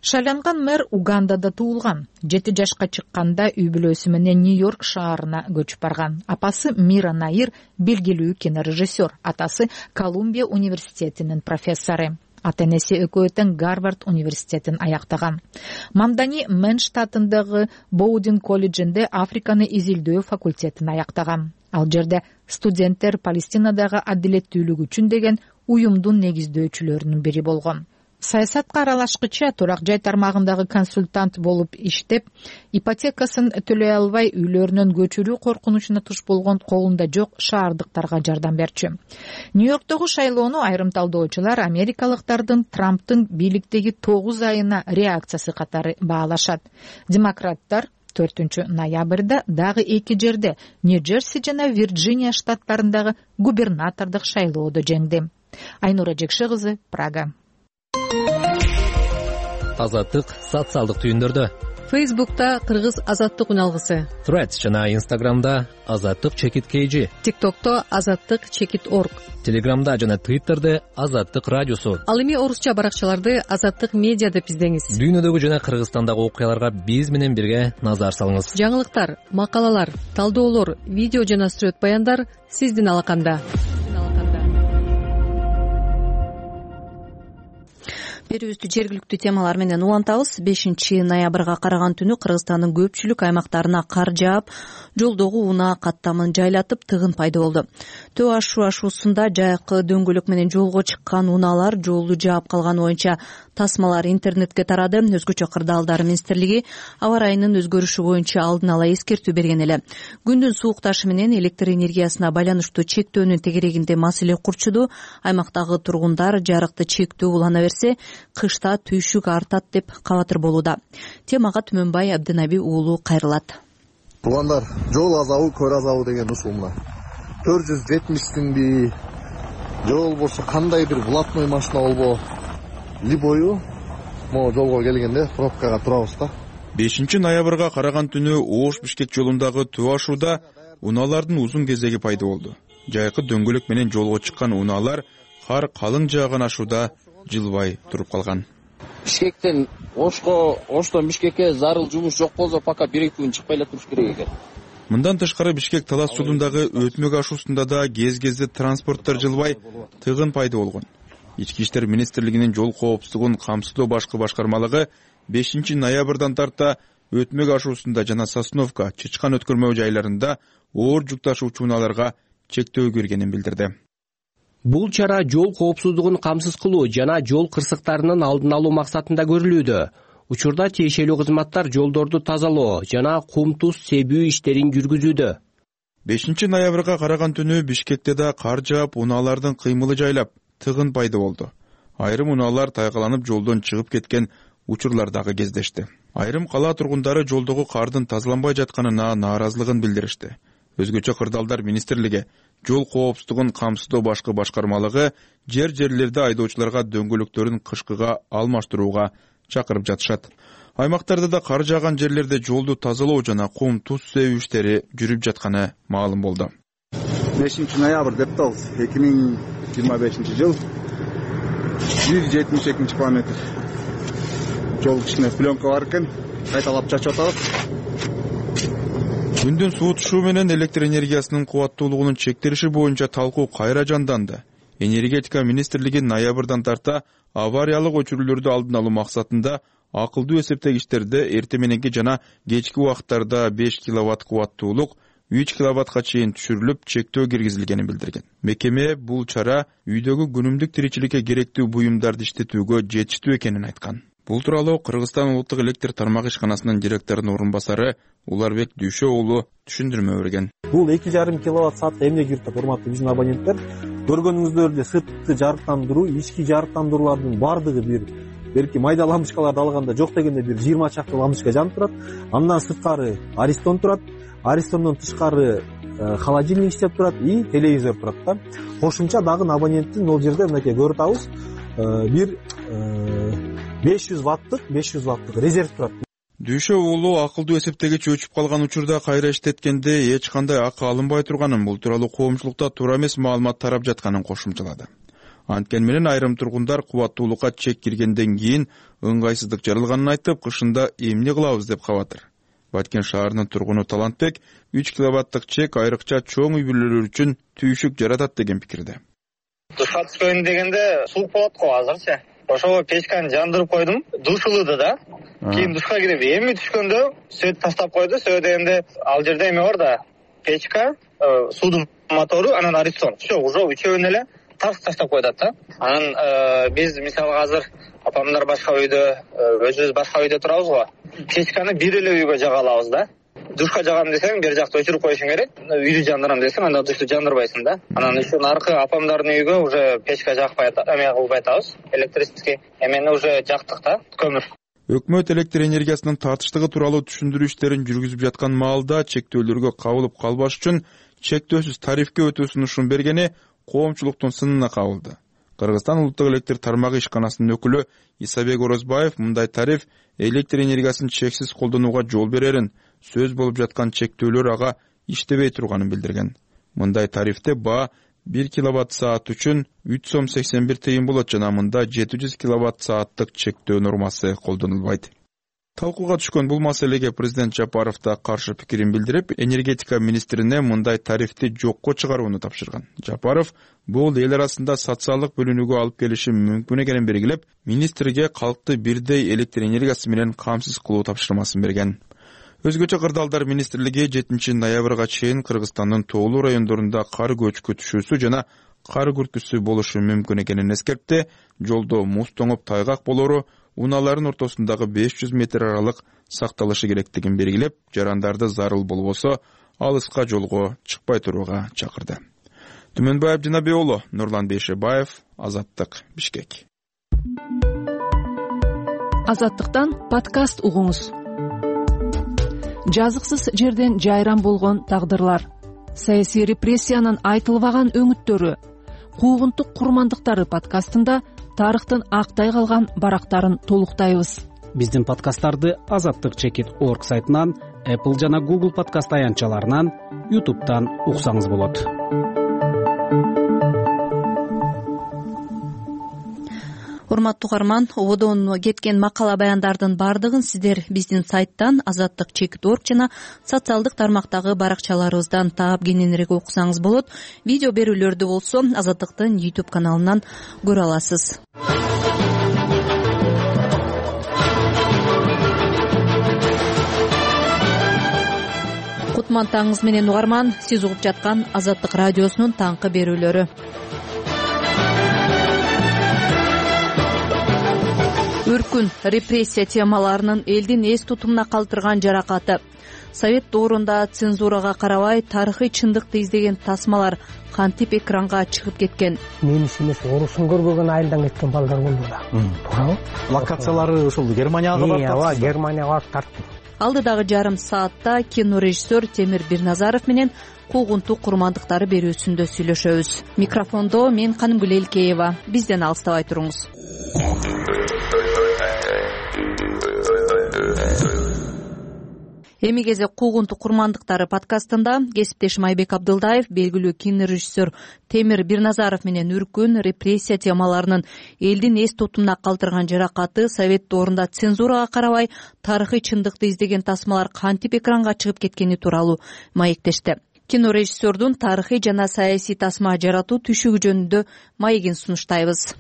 Шайланган мэр Угандада туулган. Жети жашка чыкканда үй бүлөсү менен Нью-Йорк шаарына көчүп барган. Апасы Мира Наир белгилүү кинорежиссер, атасы Колумбия университетинин профессору. Ата-энеси экөө тең Гарвард университетин аяктаган. Мамдани Мэн штатындагы Боудин колледжинде Африканы изилдөө факультетин аяктаган. Ал жерде студенттер Палестинадагы адилеттүүлүк үчүн деген уюмдун негиздөөчүлөрүнүн бири болгон. Саясатка аралашкыча турак жай тармагындагы консультант болуп иштеп, ипотекасын төлөй албай үйлөрүнөн көчүрүү коркунучуна туш болгон колунда жок шаардыктарга жардам берчү. Нью-Йорктогу шайлоону айрым талдоочулар америкалыктардын Трамптын бийликтеги тогуз айына реакциясы катары баалашат. Демократтар төртүнчү ноябрда дагы эки жерде Нью-Джерси жана Вирджиния штаттарындагы губернатордук шайлоодо жеңди. Айнура Жекше кызы, Прага. Азаттык социалдык түйүндөрдө. Фейсбукта Кыргыз азаттык үналгысы. Threads жана Instagramда азаттык чекит kg. TikTokто азаттык чекит org. Телеграмда жана Twitterде азаттык радиосу. Ал эми орусча баракчаларды азаттык медиа деп издеңиз. Дүйнөдөгү жана Кыргызстандагы окуяларга биз менен бирге назар салыңыз. Жаңылыктар, макалалар, талдоолор, видео жана сүрөт баяндар сиздин алаканда. Берүүбүздү жергиликтүү темалар менен улантабыз. бешинчи ноябрга караган түнү Кыргызстандын көпчүлүк аймактарына кар жаап, жолдогу унаа каттамын жайлатып, тыгын пайда болду. Төө Ашу ашуусунда жайкы дөңгөлөк менен жолго чыккан унаалар жолду жаап калганы боюнча тасмалар интернетке тарады. Өзгөчө Кырдаалдар министрлиги аба ырайынын өзгөрүшү боюнча алдын ала эскертүү берген эле. Күндүн суукташы менен электр энергиясына байланыштуу чектөөнүн тегерегинде маселе курчуду. Аймактагы тургундар жарыкты чектөө улана берсе, кышта түйшүк артат деп кабатыр болууда. Темага Түмөнбай Абдынаби уулу кайрылат. Туугандар, жол азабы, көр азабы деген ушул мына. төрт жүз жетимиштинби же болбосо кандай бир блатной машина болбо, либою могу жолго келгенде пробкага турабыз да. бешинчи ноябрга караган түнү Ош-Бишкек жолундагы Төө Ашууда унаалардын узун кезеги пайда болду. Жайкы дөңгөлөк менен жолго чыккан унаалар кар калың жааган Ашууда жылбай туруп калган. Бишкектен Ошко, Оштон Бишкекке зарыл жумуш жок болсо пока бир-эки күн чыкпай эле туруш керек экен. Мындан тышкары Бишкек Талас жолундагы Өтмөк ашуусунда да кез-кезде транспорттор жылбай тыгын пайда болгон. Ички иштер министрлигинин жол коопсуздугун камсыздоо башкы башкармалыгы бешинчи ноябрдан тарта Өтмөк ашуусунда жана Сосновка, Чычкан өткөрмө жайларында оор жүк ташуучу унааларга чектөө киргенин билдирди. Бул чара жол коопсуздугун камсыз кылуу жана жол кырсыктарынын алдын алуу максатында көрүлүүдө. Учурда тиешелүү кызматтар жолдорду тазалоо жана кум туз себүү иштерин жүргүзүүдө. бешинчи ноябрга караган түнү Бишкекте да кар жаап, унаалардын кыймылы жайлап, тыгын пайда болду. Айрым унаалар тайгаланып жолдон чыгып кеткен учурлар дагы кездешти. Айрым кала тургундары жолдогу кардын тазаланбай жатканына нааразылыгын билдиришти. Өзгөчө Кырдаалдар министрлиги жол коопсуздугун камсыздоо башкы башкармалыгы жер-жерлерде айдоочуларга дөңгөлөктөрүн кышкыга алмаштырууга чакырып жатышат. Аймактарда да кар жааган жерлерде жолду тазалоо жана кум туз себүү иштери жүрүп жатканы маалым болду. бешинчи ноябрь деп атабыз. эки миң жыйырма бешинчи жыл жүз жетимиш экинчи километр. Жол кичине пленка бар экен, кайталап чачып атабыз. Күндүн суутушуу менен электр энергиясынын кубаттуулугунун чектелиши боюнча талкуу кайра жанданды. Энергетика министрлиги ноябрдан тарта авариялык өчүрүүлөрдү алдын алуу максатында акылдуу эсептегичтерде эрте мененки жана кечки убакыттарда беш киловатт кубаттуулук үч киловаттка чейин түшүрүлүп, чектөө киргизилгенин билдирген. Мекеме бул чара үйдөгү күнүмдүк тиричиликке керектүү буюмдарды иштетүүгө жетиштүү экенин айткан. Бул тууралуу Кыргызстан улуттук электр тармак ишканасынын директорунун орун басары Уларбек Дүйшө уулу түшүндүрмө берген. Бул эки жарым киловатт саатка эмне кирип атат, урматтуу биздин абоненттер? Көргөнүңүздөр сыртты жарыктандыруу, ички жарыктандыруулардын бардыгы бир берки майда лампочкаларды алганда жок дегенде бир жыйырма чакты лампочка жанып турат. Андан сырткары Аристон турат. Аристондон тышкары холодильник иштеп турат и телевизор турат да. Кошумча дагы абоненттин ол жерде мынакей көрүп атабыз, бир беш жүз ваттык, беш жүз ваттык резерв турат. Дүйшө уулу акылдуу эсептегич өчүп калган учурда кайра иштеткенде эч кандай акы алынбай турганын, бул тууралуу коомчулукта туура эмес маалымат тарап жатканын кошумчалады. Анткени менен айрым тургундар кубаттуулукка чек киргенден кийин ыңгайсыздык жаралганын айтып, кышында эмне кылабыз деп кабатыр. Баткен шаарынын тургуну Талантбек үч киловаттык чек айрыкча чоң үй бүлөлөр үчүн түйшүк жаратат деген пикирде. Душка түшкөн дегенде суук болот го азырчы. Ошого печканы жандырып койдум. Душ ылыды да. Кийин душка кирип эми түшкөндө сөт таштап койду. Сөт дегенде ал жерде эме бар да. Печка, суудун мотору, анан аристон. Все, уже үчөөнү эле таш таштап койдат да. Анан биз мисалы азыр апамдар башка үйдө, өзүбүз башка үйдө турабыз го. Печканы бир эле үйгө жага алабыз да. Душка жагам десең, бер жакты өчүрүп коюшуң керек. Үйдү жандырам десең, анда душту жандырбайсың да. Анан ушун аркы апамдардын үйгө уже печка жакпай атат, эме кылбай атабыз. Электрический эмени уже жактык да, көмүр. Өкмөт электр энергиясынын тартыштыгы тууралуу түшүндүрүү иштерин жүргүзүп жаткан маалда чектөөлөргө кабылып калбаш үчүн чектөөсүз тарифке өтүү сунушун бергени коомчулуктун сынына кабылды. Кыргызстан улуттук электр тармагы ишканасынын өкүлү Исабек Орозбаев мындай тариф электр энергиясын чексиз колдонууга жол берерин, сөз болуп жаткан чектөөлөр ага иштебей турганын билдирген. Мындай тарифте баа бир киловатт саат үчүн үч сом сексен бир тыйын болот жана мында жети жүз киловатт сааттык чектөө нормасы колдонулбайт. Талкууга түшкөн бул маселеге президент Жапаров да каршы пикирин билдирип, энергетика министрине мындай тарифти жокко чыгарууну тапшырган. Жапаров бул эл арасында социалдык бөлүнүүгө алып келиши мүмкүн экенин белгилеп, министрге калкты бирдей электр энергиясы менен камсыз кылуу тапшырмасын берген. Өзгөчө кырдаалдар министрлиги жетинчи ноябрга чейин Кыргызстандын тоолуу райондорунда кар көчкү түшүүсү жана кар күртүүсү болушу мүмкүн экенин эскертти. Жолдо муз тоңуп тайгак болору, унаалардын ортосундагы беш жүз метр аралык сакталышы керектигин белгилеп, жарандарды зарыл болбосо алыска жолго чыкпай турууга чакырды. Түмөнбаев Жанабек уулу, Нурлан Бейшебаев, Азаттык, Бишкек. Азаттыктан подкаст угуңуз. Жазыксыз жерден жайран болгон тагдырлар, саясий репрессиянын айтылбаган өңүттөрү, куугунтук курмандыктары подкастында тарыхтын актай калган барактарын толуктайбыз. Биздин подкасттарды азаттык чекит точка орг сайтынан, Apple жана Google подкаст аянтчаларынан, YouTube'дан уксаңыз болот. Урматтуу угарман, ободон кеткен макала баяндардын бардыгын сиздер биздин сайттан азаттык чекит точка орг жана социалдык тармактагы баракчаларыбыздан таап кененирээк окусаңыз болот. Видео берүүлөрдү болсо Азаттыктын YouTube каналынан көрө аласыз. Кутман таңыңыз менен угарман, сиз угуп жаткан Азаттык радиосунун таңкы берүүлөрү. Өркүн, репрессия темаларынын элдин эс тутумуна калтырган жаракаты. Совет доорунда цензурага карабай тарыхый чындыкты издеген тасмалар кантип экранга чыгып кеткен. Немис эмес, орусун көрбөгөн айылдан кеткен балдар болду да. Туурабы? Локациялары ушул Германияга барып тартты. Ооба, Германияга барып тартты. Алдыдагы жарым саатта кинорежиссер Темир Бирназаров менен куугунтук курмандыктары берүүсүндө сүйлөшөбүз. Микрофондо мен Канымгүл Элкеева. Бизден алыстабай туруңуз. Эми кезек куугунтук курмандыктары подкастында кесиптешим Айбек Абдылдаев белгилүү кинорежиссер Темир Бирназаров менен өркүн, репрессия темаларынын элдин эс тутумуна калтырган жаракаты, Совет доорунда цензурага карабай тарыхый чындыкты издеген тасмалар кантип экранга чыгып кеткени тууралуу маектешти. Кинорежиссердун тарыхый жана саясий тасма жаратуу түшүгү жөнүндө маегин сунуштайбыз.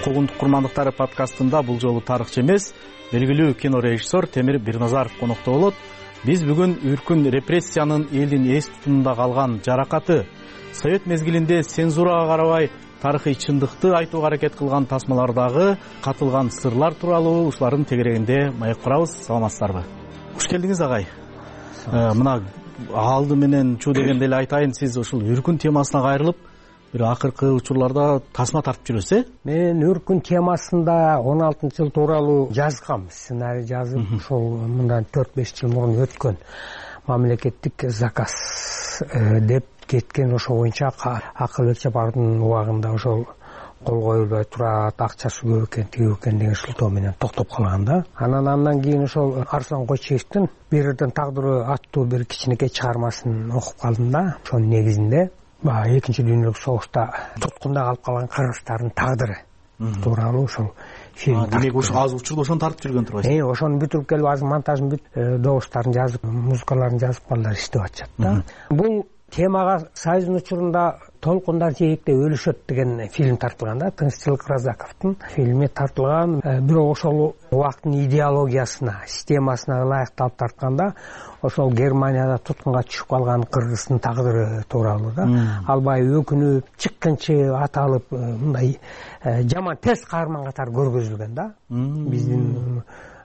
Куугунтук курмандыктары подкастында бул жолу тарыхчы эмес, белгилүү кинорежиссер Темир Бирназаров конокто болот. Биз бүгүн өркүн репрессиянын элдин эс тутумунда калган жаракаты, Совет мезгилинде цензурага карабай тарыхый чындыкты айтууга аракет кылган тасмалардагы катылган сырлар тууралуу ушулардын тегерегинде маек курабыз. Саламатсыздарбы? Куш келдиңиз, агай. Мына алды менен чуу дегенде эле айтайын, сиз ушул өркүн темасына кайрылып бир акыркы учурларда тасма тартып жүрөсүз, э? Мен өркүн темасында он алтынчы жыл тууралуу жазгам, сценарий жазып, ошол мындан төрт беш жыл мурун өткөн мамлекеттик заказ деп кеткен, ошо боюнча акыл өлчөп бардын убагында ошол кол коюлбай турат, акчасы көп экен, тиги экен деген шылтоо менен токтоп калган да. Анан андан кийин ошол Арслан Койчиевдин бир жерден тагдыры аттуу бир кичинекей чыгармасын окуп калдым да. Ошонун негизинде баягы экинчи дүйнөлүк согушта туткунда калып калган кыргыздардын тагдыры тууралуу ошол фильм. Демек ошо азыр учурда ошону тартып жүргөн турбайсыз? Э, ошону бүтүрүп келип азыр монтажын бүтүп, добустарын жазып, музыкаларын жазып балдар иштеп атышат да. Бул темага Союздун учурунда толкундар жээкте өлүшөт деген фильм тартылган да. Тынччылык Разаковдун фильми тартылган. Бирок ошол убакыттын идеологиясына, системасына ылайыкталып тартканда ошол Германияда туткунга түшүп калган кыргыздын тагдыры тууралуу да. Албай өкүнүп, чыккынчы аталып, мындай жаман терс каарман катары көргөзүлгөн да. Биздин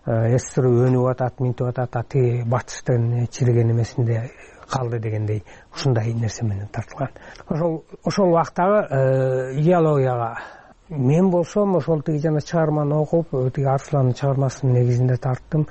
СССР өнүп атат, минтип атат, тиги батыштын чиреген эмесинде калды дегендей ушундай нерсе менен тартылган. Ошол ошол убактагы идеологияга мен болсом ошол тиги жана чыгарманы окуп, тиги Арсландын чыгармасынын негизинде тарттым.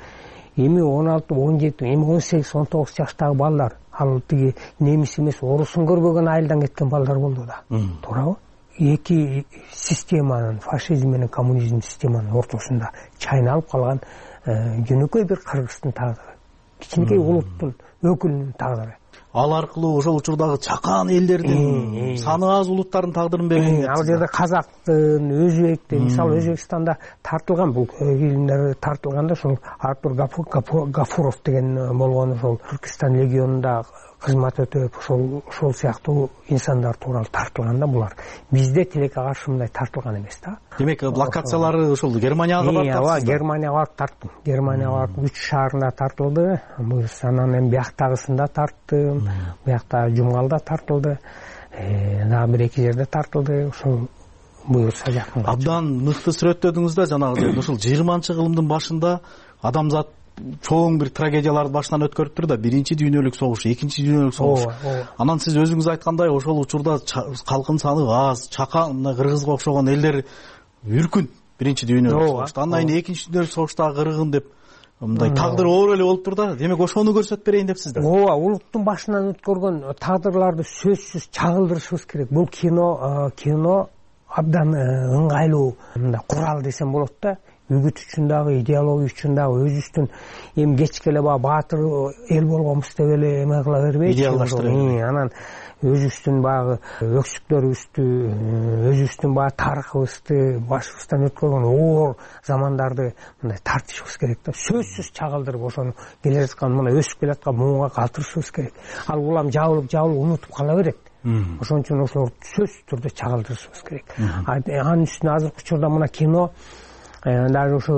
Эми он алты, он жети, эми он сегиз, он тогуз жаштагы балдар, ал тиги немис эмес, орусун көрбөгөн айылдан кеткен балдар болду да. Туурабы? Эки системанын, фашизм менен коммунизм системанын ортосунда чайналып калган жөнөкөй бир кыргыздын тагдыры, кичинекей улуттун өкүлүнүн тагдыры. Ал аркылуу ошол учурдагы чакан элдердин, саны аз улуттардын тагдырын белгилеп. Ал жерде казактын, өзбектин, мисалы Өзбекстанда тартылган бул фильмдер тартылганда ошол Артур Гафуров деген болгон ошол Түркистан легионунда кызмат өтөп, ошол ошол сыяктуу инсандар тууралуу тартылган да булар. Бизде тилекке каршы мындай тартылган эмес да. Демек, локациялары ошол Германияга барып тартылды. Ооба, Германияга барып тарттым. Германияга барып үч шаарында тартылды. Анан эми бияктагысында тарттым. Биякта Жумгалда тартылды. Дагы бир эки жерде тартылды. Ошол буюрса жакын. Абдан мыкты сүрөттөдүңүз да жанагы ошол жыйырманчы кылымдын башында адамзат чоң бир трагедияларды башынан өткөрүптүр да. Биринчи дүйнөлүк согуш, экинчи дүйнөлүк согуш. Анан сиз өзүңүз айткандай ошол учурда калкын саны аз, чакан, кыргызга окшогон элдер үркүн биринчи дүйнөлүк согушта. Андан кийин экинчи дүйнөлүк согуштагы кыргын деп мындай тагдыр оор эле болуптур да. Демек ошону көрсөтүп берейин депсиздер. Ооба, улуттун башынан өткөргөн тагдырларды сөзсүз чагылдырышыбыз керек. Бул кино кино абдан ыңгайлуу мындай курал десем болот да. Үгүт үчүн дагы, идеология үчүн дагы, өзүбүздүн эми кечке эле баягы баатыр эл болгонбуз деп эле эме кыла бербейчи. Идеалдаштырып. Анан өзүбүздүн баягы өксүктөрүбүздү, өзүбүздүн баягы тарыхыбызды, башыбыздан өткөргөн оор замандарды мындай тартышыбыз керек да. Сөзсүз чагылдырып ошону келе жаткан мына өсүп келаткан муунга калтырышыбыз керек. Ал улам жабылып жабылып унутуп кала берет. Ошон үчүн ошолорду сөзсүз түрдө чагылдырышыбыз керек. Анын үстүнө азыркы учурда мына кино даже ушу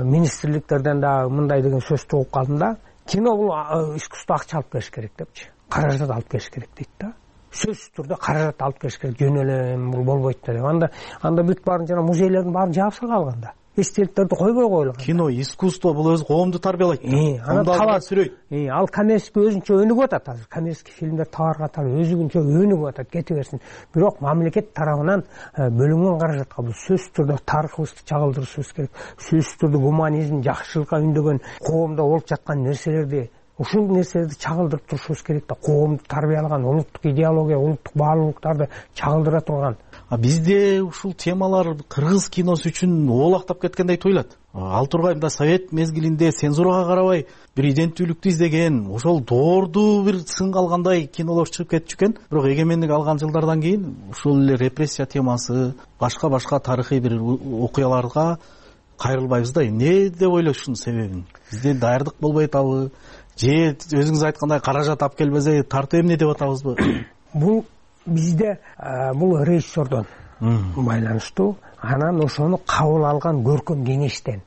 министрликтерден да мындай деген сөздү угуп калдым да. Кино бул искусство акча алып келиш керек депчи. Каражат алып келиш керек дейт да. Сөзсүз түрдө каражат алып келиш керек. Жөн эле бул болбойт да деп. Анда анда бүт баарын жана музейлердин баарын жаап салган да. Эстеликтерди койбой коюлган. Кино, искусство бул өзү коомду тарбиялайт. Анан талап сүрөйт. Ал коммерческий өзүнчө өнүгүп атат азыр. Коммерческий фильмдер табар катары өзүнчө өнүгүп атат, кете берсин. Бирок мамлекет тарабынан бөлүнгөн каражатка бул сөзсүз түрдө тарыхыбызды чагылдырышыбыз керек. Сөзсүз түрдө гуманизм, жакшылыкка үндөгөн, коомдо болуп жаткан нерселерди, ушул нерселерди чагылдырып турушубуз керек да. Коомду тарбиялаган улуттук идеология, улуттук баалуулуктарды чагылдыра турган. А бизде ушул темалар кыргыз киносу үчүн оолактап кеткендей туюлат. Ал тургай мында совет мезгилинде цензурага карабай бир иденттүүлүктү издеген, ошол доорду бир сын калгандай кинолор чыгып кетчү экен. Бирок эгемендик алган жылдардан кийин ушул эле репрессия темасы, башка-башка тарыхый бир окуяларга кайрылбайбыз да. Эмне деп ойлошунун себебин? Бизде даярдык болбой атабы? Же өзүңүз айткандай каражат алып келбесе тартуу эмне деп атабызбы? Бул бизде бул режиссердон байланыштуу. Анан ошону кабыл алган көркөм кеңештен,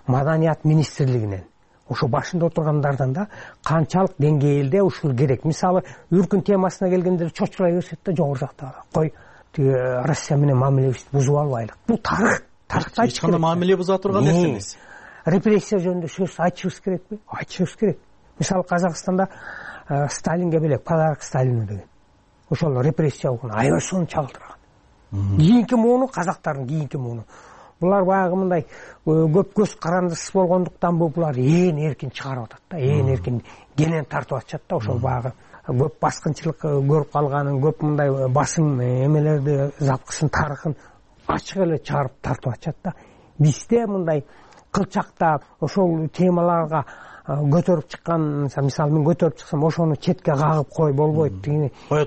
маданият министрлигинен, ошо башында отургандардан да канчалык деңгээлде ушул керек. Мисалы, үркүн темасына келгенде чочурай беришет да жогору жакта. Кой, тиги Россия менен мамилебизди бузуп албайлык. Бул тарых, тарыхта эч кандай мамиле буза турган нерсе эмес. Репрессия жөнүндө сөз айтышыбыз керекпи? Айтышыбыз керек. Мисалы, Казакстанда Сталинге белек подарок Сталину деген. Ошол репрессия болгон аябай сону чагылдырган. Кийинки мууну казактардын кийинки мууну. Булар баягы мындай көп көз карандысыз болгондуктан булар ээн эркин чыгарып атат да, ээн эркин кенен тартып атышат да. Ошол баягы көп баскынчылык көрүп калганын, көп мындай басым эмелерди, запкысын, тарыхын ачык эле чыгарып тартып атышат да. Бизде мындай кылчакта ошол темаларга көтөрүп чыккан, мисалы мен көтөрүп чыксам ошону четке кагып кой болбойт, тигини кое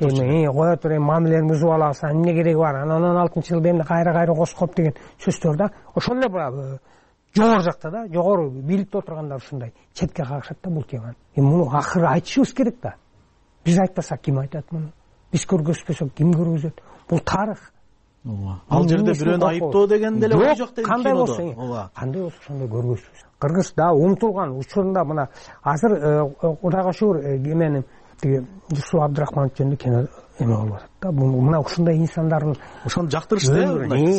тур, эми мамилени бузуп алабыз, эмне кереги бар, анан он алтынчы жылда эмне кайра кайра коскоп деген сөздөр да. Ошол эле жогору жакта да, жогору бийликте отургандар ушундай четке кагышат да бул теманы. Эми муну акыры айтышыбыз керек да. Биз айтпасак ким айтат муну? Биз көргөзбөсөк ким көргөзөт? Бул тарых. Ал жерде бирөөнү айыптоо деген деле ой жок дейм. Кандай болсо, кандай болсо ошондой көргөзбүз. Кыргыз да унутулган учурунда мына азыр Кудайга шүгүр эменин тиги Жусуп Абдрахманов жөнүндө кино эме болуп атат да. Мына ушундай инсандардын ошону жактырышты,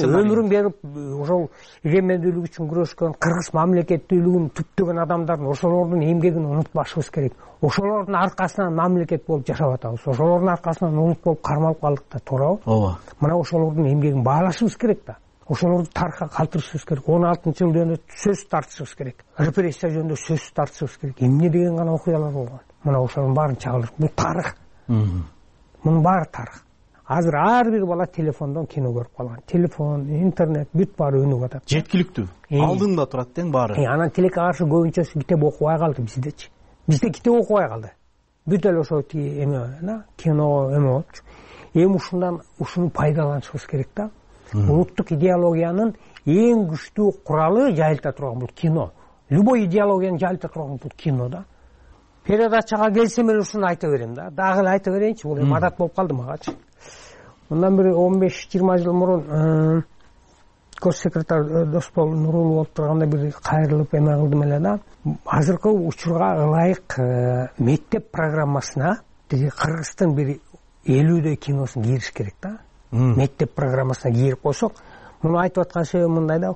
өмүрүн берип ошол эгемендүүлүк үчүн күрөшкөн, кыргыз мамлекеттүүлүгүн түптөгөн адамдардын ошолордун эмгегин унутпашыбыз керек. Ошолордун аркасынан мамлекет болуп жашап атабыз. Ошолордун аркасынан улут болуп кармалып калдык да, туурабы? Ооба. Мына ошолордун эмгегин баалашыбыз керек да. Ошолорду тарыхка калтырышыбыз керек. он алтынчы жыл жөнүндө сөз тартышыбыз керек. Репрессия жөнүндө сөз тартышыбыз керек. Эмне деген гана окуялар болгон. Мына ошонун баарын чагылдырып, бул тарых. Мунун баары тарых. Азыр ар бир бала телефондон кино көрүп калган. Телефон, интернет бүт баары өнүгүп атат. Жеткиликтүү. Алдыңда турат тең баары. Анан тилекке каршы көбүнчөсү китеп окубай калды биздечи. Бизде китеп окубай калды. Бүт эле ошо тиги эме, кино эме болчу. Эми ушундан ушуну пайдаланышыбыз керек да. Улуттук идеологиянын эң күчтүү куралы жайылта турган бул кино. Любой идеологияны жайылта турган бул кино да. Передачага келсем эле ушуну айта берем да. Дагы эле айта берейинчи, бул эми адат болуп калды магачы. Мындан бир он беш жыйырма жыл мурун гош секретарь Досбол Нурулов болуп турганда бир кайрылып эме кылдым эле да. Азыркы учурга ылайык мектеп программасына тиги Кыргыздын бир элүүдөй киносун кириш керек да. Мектеп программасына кирип койсок, муну айтып аткан себебим мындай да.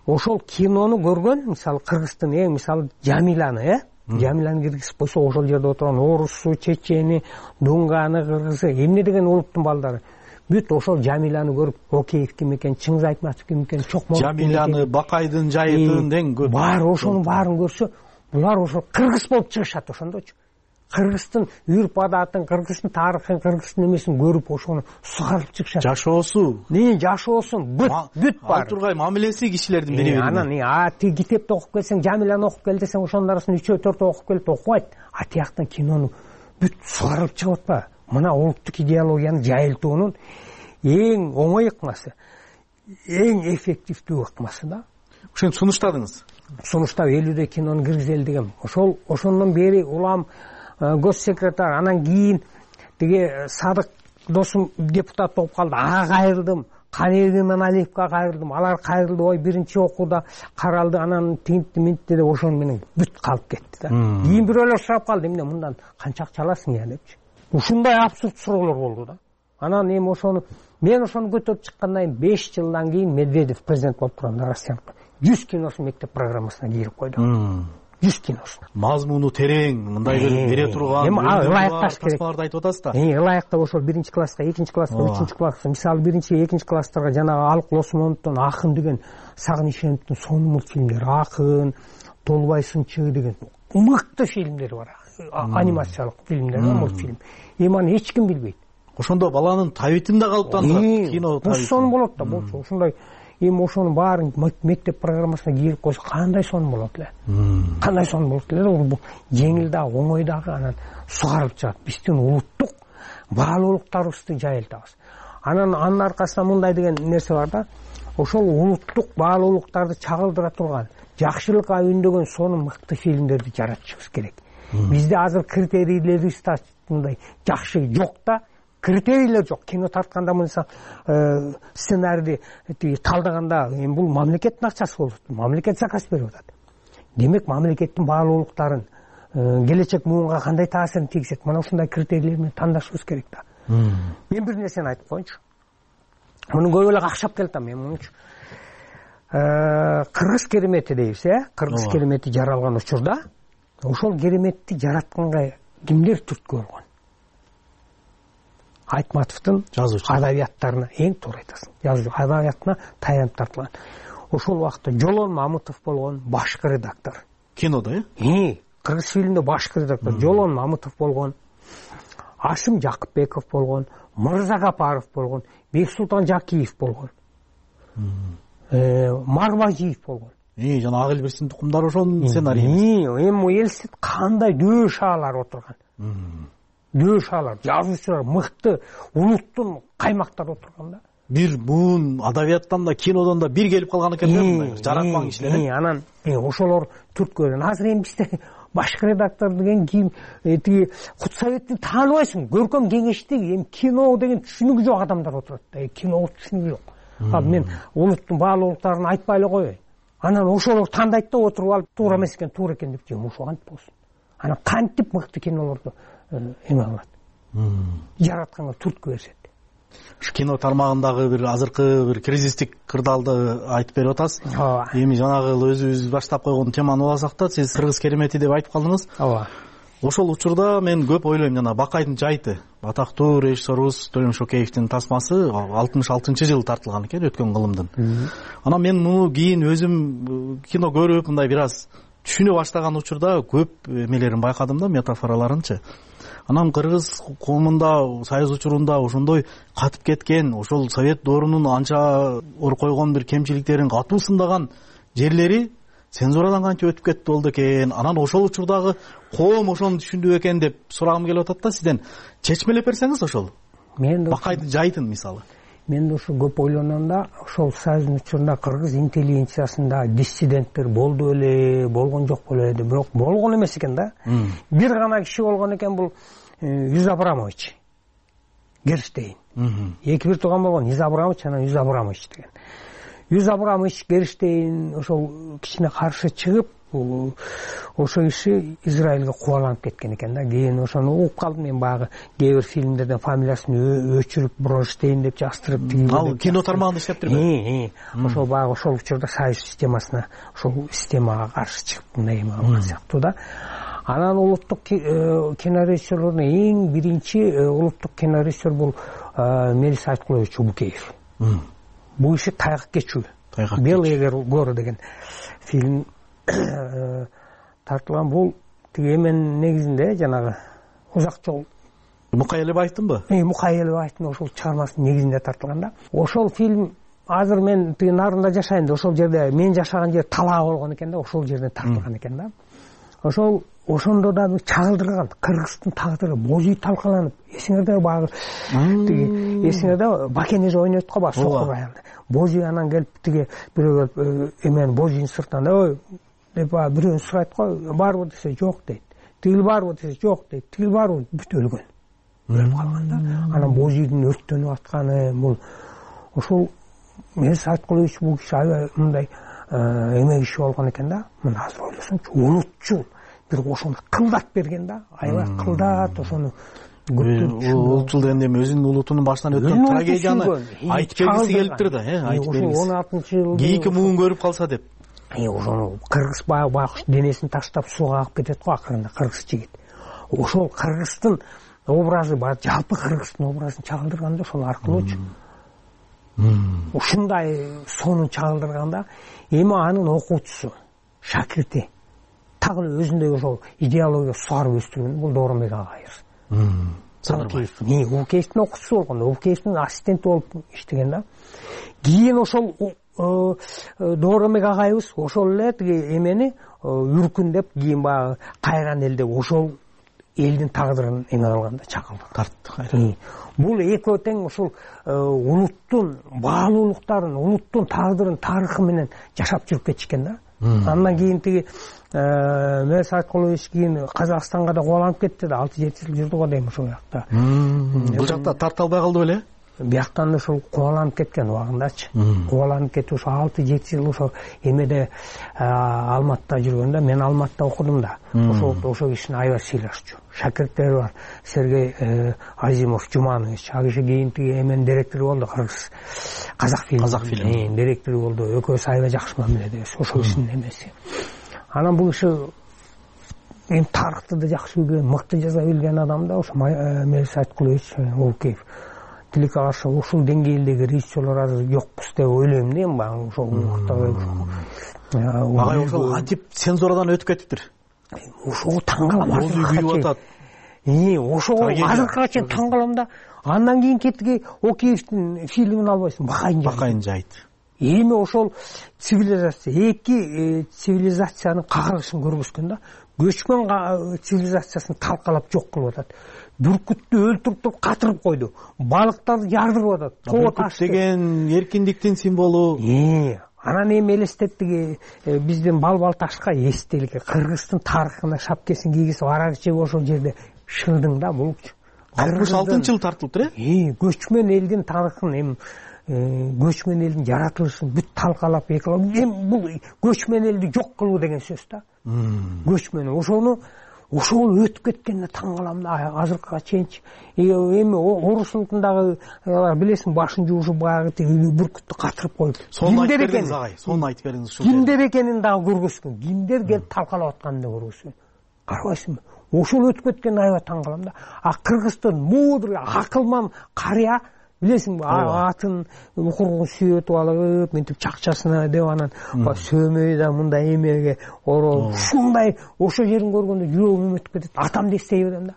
Ошол кинону көргөн, мисалы Кыргыздын эң мисалы Жамиланы, э? Жамиланы киргизип койсо, ошол жерде отурган орусу, чечени, дунганы, кыргызы, эмне деген улуттун балдары бүт ошол Жамиланы көрүп, Океев ким экен, Чыңгыз Айтматов ким экен, Чокмолов Жамиланы, Бакайдын жайытын дең көп. Бар ошонун баарын көрсө, булар ошол кыргыз болуп чыгышат ошондочу. Кыргыздын үрп адатын, кыргыздын тарыхын, кыргыздын эмесин көрүп ошону сугарып чыгышат. Жашоосу, не жашоосун бүт бүт бар. Ал тургай мамилеси кишилердин бири-бирине. Анан а тиги китепти окуп келсең, Жамиланы окуп кел десең, ошонун арасынан үчөө төртөө окуп келип окубайт. А тияктан кинону бүт сугарып чыгып атпайбы? Мына улуттук идеологияны жайылтуунун эң оңой ыкмасы, эң эффективдүү ыкмасы да. Ошентип сунуштадыңыз. Сунуштап элүүдөй кинону киргизели дегем. Ошол ошондон бери улам госсекретарь, анан кийин тиги Садык досум депутат болуп калды. Ага кайрылдым. Канеби менен Алиевке кайрылдым. Алар кайрылды, ой биринчи окууда каралды, анан тинтти минтти деп ошону менен бүт калып кетти да. Кийин бирөөлөр сурап калды, эмне мындан канча акча аласың я депчи. Ушундай абсурд суроолор болду да. Анан эми ошону мен ошону көтөрүп чыккандан кийин беш жылдан кийин Медведев президент болуп турганда Россиянын жүз киносун мектеп программасына кирип койду. жүз киносун. Мазмуну терең, мындай бере турган, эми ылайыкташ керек. Тасмаларды айтып атасыз да. Эми ылайыкта ошол биринчи класска, экинчи класска, үчүнчү класска, мисалы биринчи, экинчи класстарга жанагы Алык Осмоновдун Акын деген, Сагын Ишеновдун сонун мультфильмдери, Акын, Толбай Сынчы деген мыкты фильмдер бар. Анимациялык фильмдер, мультфильм. Эми аны эч ким билбейт. Ошондо баланын табитинде калыптан кино табити. Сонун болот да, болчу. Ошондой эми ошонун баарын мектеп программасына кирип койсо кандай сонун болот эле. Кандай сонун болот эле. Бул жеңил дагы, оңой дагы, анан сугарып чыгат. Биздин улуттук баалуулуктарыбызды жайылтабыз. Анан анын аркасында мындай деген нерсе бар да. Ошол улуттук баалуулуктарды чагылдыра турган, жакшылыкка үндөгөн сонун мыкты фильмдерди жаратышыбыз керек. Бизде азыр критерийлерибиз мындай жакшы жок да. Критерийлер жок. Кино тартканда мынса сценарийди талдаганда эми бул мамлекеттин акчасы болот. Мамлекет заказ берип атат. Демек мамлекеттин баалуулуктарын, келечек муунга кандай таасирин тийгизет? Мына ушундай критерийлер менен тандашыбыз керек да. Мен бир нерсени айтып коеюнчу. Муну көп эле какшап келатам мен мунчу. Кыргыз керемети дейбиз, э? Кыргыз керемети жаралган учурда ошол кереметти жаратканга кимдер түрткү болгон? Айтматовдун адабияттарына эң туура айтасың. Жазуу адабиятына таянып тартылган. Ошол убакта Жолон Мамытов болгон башкы редактор. Кинодо, э? Э, кыргыз фильминде башкы редактор Жолон Мамытов болгон. Ашым Жакыпбеков болгон, Мырза Гапаров болгон, Бексултан Жакиев болгон. Марбажиев болгон. жана ак элберстин тукумдары ошонун сценарийи. Эми элестет кандай дөш аалар отурган. Дөш аалар, жазуучулар, мыкты улуттун каймактары отурган да. Бир буун адабияттан да кинодон да бир келип калган экен да, жаратман кишилер. Анан ошолор түрткүлөр. Азыр эми бизде башкы редактор деген кийин тиги Кутсоветти тааныбайсың. Көркөм кеңештеги эми кино деген түшүнүгү жок адамдар отурат да. Кино түшүнүгү жок. Ал мен улуттун баалуу улуттарын айтпай эле коеюн. Анан ошолор тандайт да отуруп алып туура эмес экен, туура экен деп жем ошо кантип болсун. Анан кантип мыкты кинолорду эме кылат. Жаратканга түрткү беришет. Кино тармагындагы бир азыркы бир кризистик кырдаалды айтып берип атасыз. Эми жанагы өзүбүз баштап койгон теманы уласак да, сиз кыргыз керемети деп айтып калдыңыз. Ооба. Ошол учурда мен көп ойлойм, жана Бакайдын жайты, атактуу режиссерубуз Төлөм Шокеевдин тасмасы алтымыш алтынчы жылы тартылган экен, өткөн кылымдын. Анан мен муну кийин өзүм кино көрүп, мындай бир аз түшүнө баштаган учурда көп эмелерин байкадым да, метафораларынчы. Анан кыргыз коомунда союз учурунда ошондой катып кеткен, ошол совет доорунун анча ор койгон бир кемчиликтерин катуу сындаган жерлери цензурадан кантип өтүп кетти болду экен. Анан ошол учурдагы коом ошону түшүндү экен деп сурагым келип атат да сизден. Чечмелеп берсеңиз ошол. Мен Бакайдын жайтын мисалы. Мен да ошо көп ойлоном да, ошол союздун учурунда кыргыз интеллигенциясында диссиденттер болду эле, болгон жок беле, бирок болгон эмес экен да. Бир гана киши болгон экен, бул Юз Абрамович Герштейн. Эки бир тууган болгон, Юз Абрамович анан Юз Абрамович деген. Юз Абрамович Герштейн ошол кишине каршы чыгып, ошо киши Израилге кубаланып кеткен экен да. Кийин ошону угуп калдым мен, баягы кээ бир фильмдерден фамилиясын өчүрүп Бронштейн деп жаштырып, ал кино тармагында иштеп жүрбү. Ошол баягы ошол учурда союз системасына, ошол системага каршы чыгып мындай эме кылган сыяктуу да. Анан улуттук кинорежиссерлордун эң биринчи улуттук кинорежиссер бул Мелис Айткулович Убукеев. Бул иши тайгак кечүү. Белые горы деген фильм тартылган. Бул тиги эмен негизинде жанагы узак жол Мукай Элебаевдинбы? Э, Мукай Элебаевдин ошол чыгармасынын негизинде тартылган да. Ошол фильм азыр мен тиги нарында жашайм да, ошол жерде мен жашаган жер талаа болгон экен да, ошол жерден тартылган экен да. Ошол ошондо да чагылдырган Кыргыздын тагдыры божүй талкаланып, эсиңерде баягы тиги эсиңерде Бакенеж ойнойт го баягы сокур аялды. Божүй анан келип тиги бирөөгө эмен божүйдүн сыртынан ой деп бирөөнү сурайт го, барбы десе жок дейт. Тигил барбы десе жок дейт. Тигил барбы бүт өлгөн. Өлүп калган да. Анан божүйдүн өрттөнүп атканы бул ошол Мелис Айткулович бул киши аябай мындай эме киши болгон экен да. Мына азыр ойлосоңчу, улутчул бир ошону кылдат берген да, аябай кылдат ошону. Улутчул дегенде эми өзүнүн улутунун башынан өткөн трагедияны айтып бергиси келиптир да, э, айтып бергиси. он алтынчы жылы кийинки муун көрүп калса деп. Ошону кыргыз баягы байкуш денесин таштап сууга агып кетет го акырында кыргыз жигит. Ошол кыргыздын образы бар, жалпы кыргыздын образын чагылдырган да ошол аркылуучу. Ушундай сонун чагылдырганда, эми анын окуучусу, шакирти тагы өзүндөй ошол идеология суарып өстүргөн бул Дооронбек Агаев. Садырбаев. Убукеевдин окуучусу болгон, Убукеевдин ассистенти болуп иштеген да. Кийин ошол Дооронбек Агаевбыз ошол эле тиги эмени үркүндеп, кийин баягы кайран эл деп ошол элдин тагдырын эме кылган да, чакылды. Тартты. Бул экөө тең ошол улуттун баалуулуктарын, улуттун тагдырын, тарыхы менен жашап жүрүп кетишкен да. Андан кийин тиги Мелис Айткулович кийин Казакстанга да кубаланып кетти да, алты жети жыл жүрдү го дейм ошол жакта. Бул жакта тарта албай калды беле? Бияктан ошол кубаланып кеткен убагындачы. Кубаланып кетип ошо алты жети жыл ошо эмеде Алматта жүргөндө, мен Алматта окудум да. Ошол ошол кишини аябай сыйлашчу. Шакирттери бар. Сергей Азимов, Жуманович, ал киши кийин тиги эмен директору болду, Кыргыз Казак фильм. Казак фильм директору болду. Экөөсү аябай жакшы мамиледебиз. Ошол кишинин эмеси. Анан бул киши эми тарыхты да жакшы билген, мыкты жаза билген адам да, ошо Мелис Айткулович Убукеев. Тилекке каршы ушул деңгээлдеги режиссерлор азыр жокпуз деп ойлойм да, эми баягы ошол убакта. Агай ошол антип цензурадан өтүп кетиптир. Ошого таң калам. Божүй күйүп атат. Э, ошого азыркыга чейин таң калам да. Андан кийин кеттиги Океевдин фильмин албайсың, Бакайдын Бакайдын жайты. эми ошол цивилизация эки цивилизациянын кагылышын көргөзгөн да. Көчмөн цивилизациясын талкалап жок кылып атат. Бүркүттү өлтүрүп туруп катырып койду. Балыктарды жардырып атат. Бүркүт деген эркиндиктин символу. Анан эми элестеттик биздин Балбал ташка эстелик Кыргыздын тарыхына шапкесин кийгизип аракчы ошол жерде шырдың да бул. алтымыш алтынчы жылы тартылыптыр э? Көчмөн элдин тарыхын эми көчмөн элдин жаратылышын бүт талкалап эми бул көчмөн элди жок кылуу деген сөз да. Көчмөн ошону ошол өтүп кеткенине таң калам да азыркыга чейинчи. Эми орус улутундагы билесиң башын жуушуп баягы бүркүттү катырып коюп. Сону айтып бериңиз агай, сону айтып бериңиз ушул. Кимдер экенин дагы көргөзгөн. Кимдер келип талкалап атканын да көргөзгөн. Карабайсыңбы? Ошол өтүп кеткенине аябай таң калам да. А Кыргыздын мудр, акылман карыя билесиңби, атын укургун сүйөтүп алып, мынтип чакчасына деп анан сөмөй да мындай эмеге ороп, ушундай ошо жерин көргөндө жүрөгүм өтүп кетет. Атамды эстей берем да.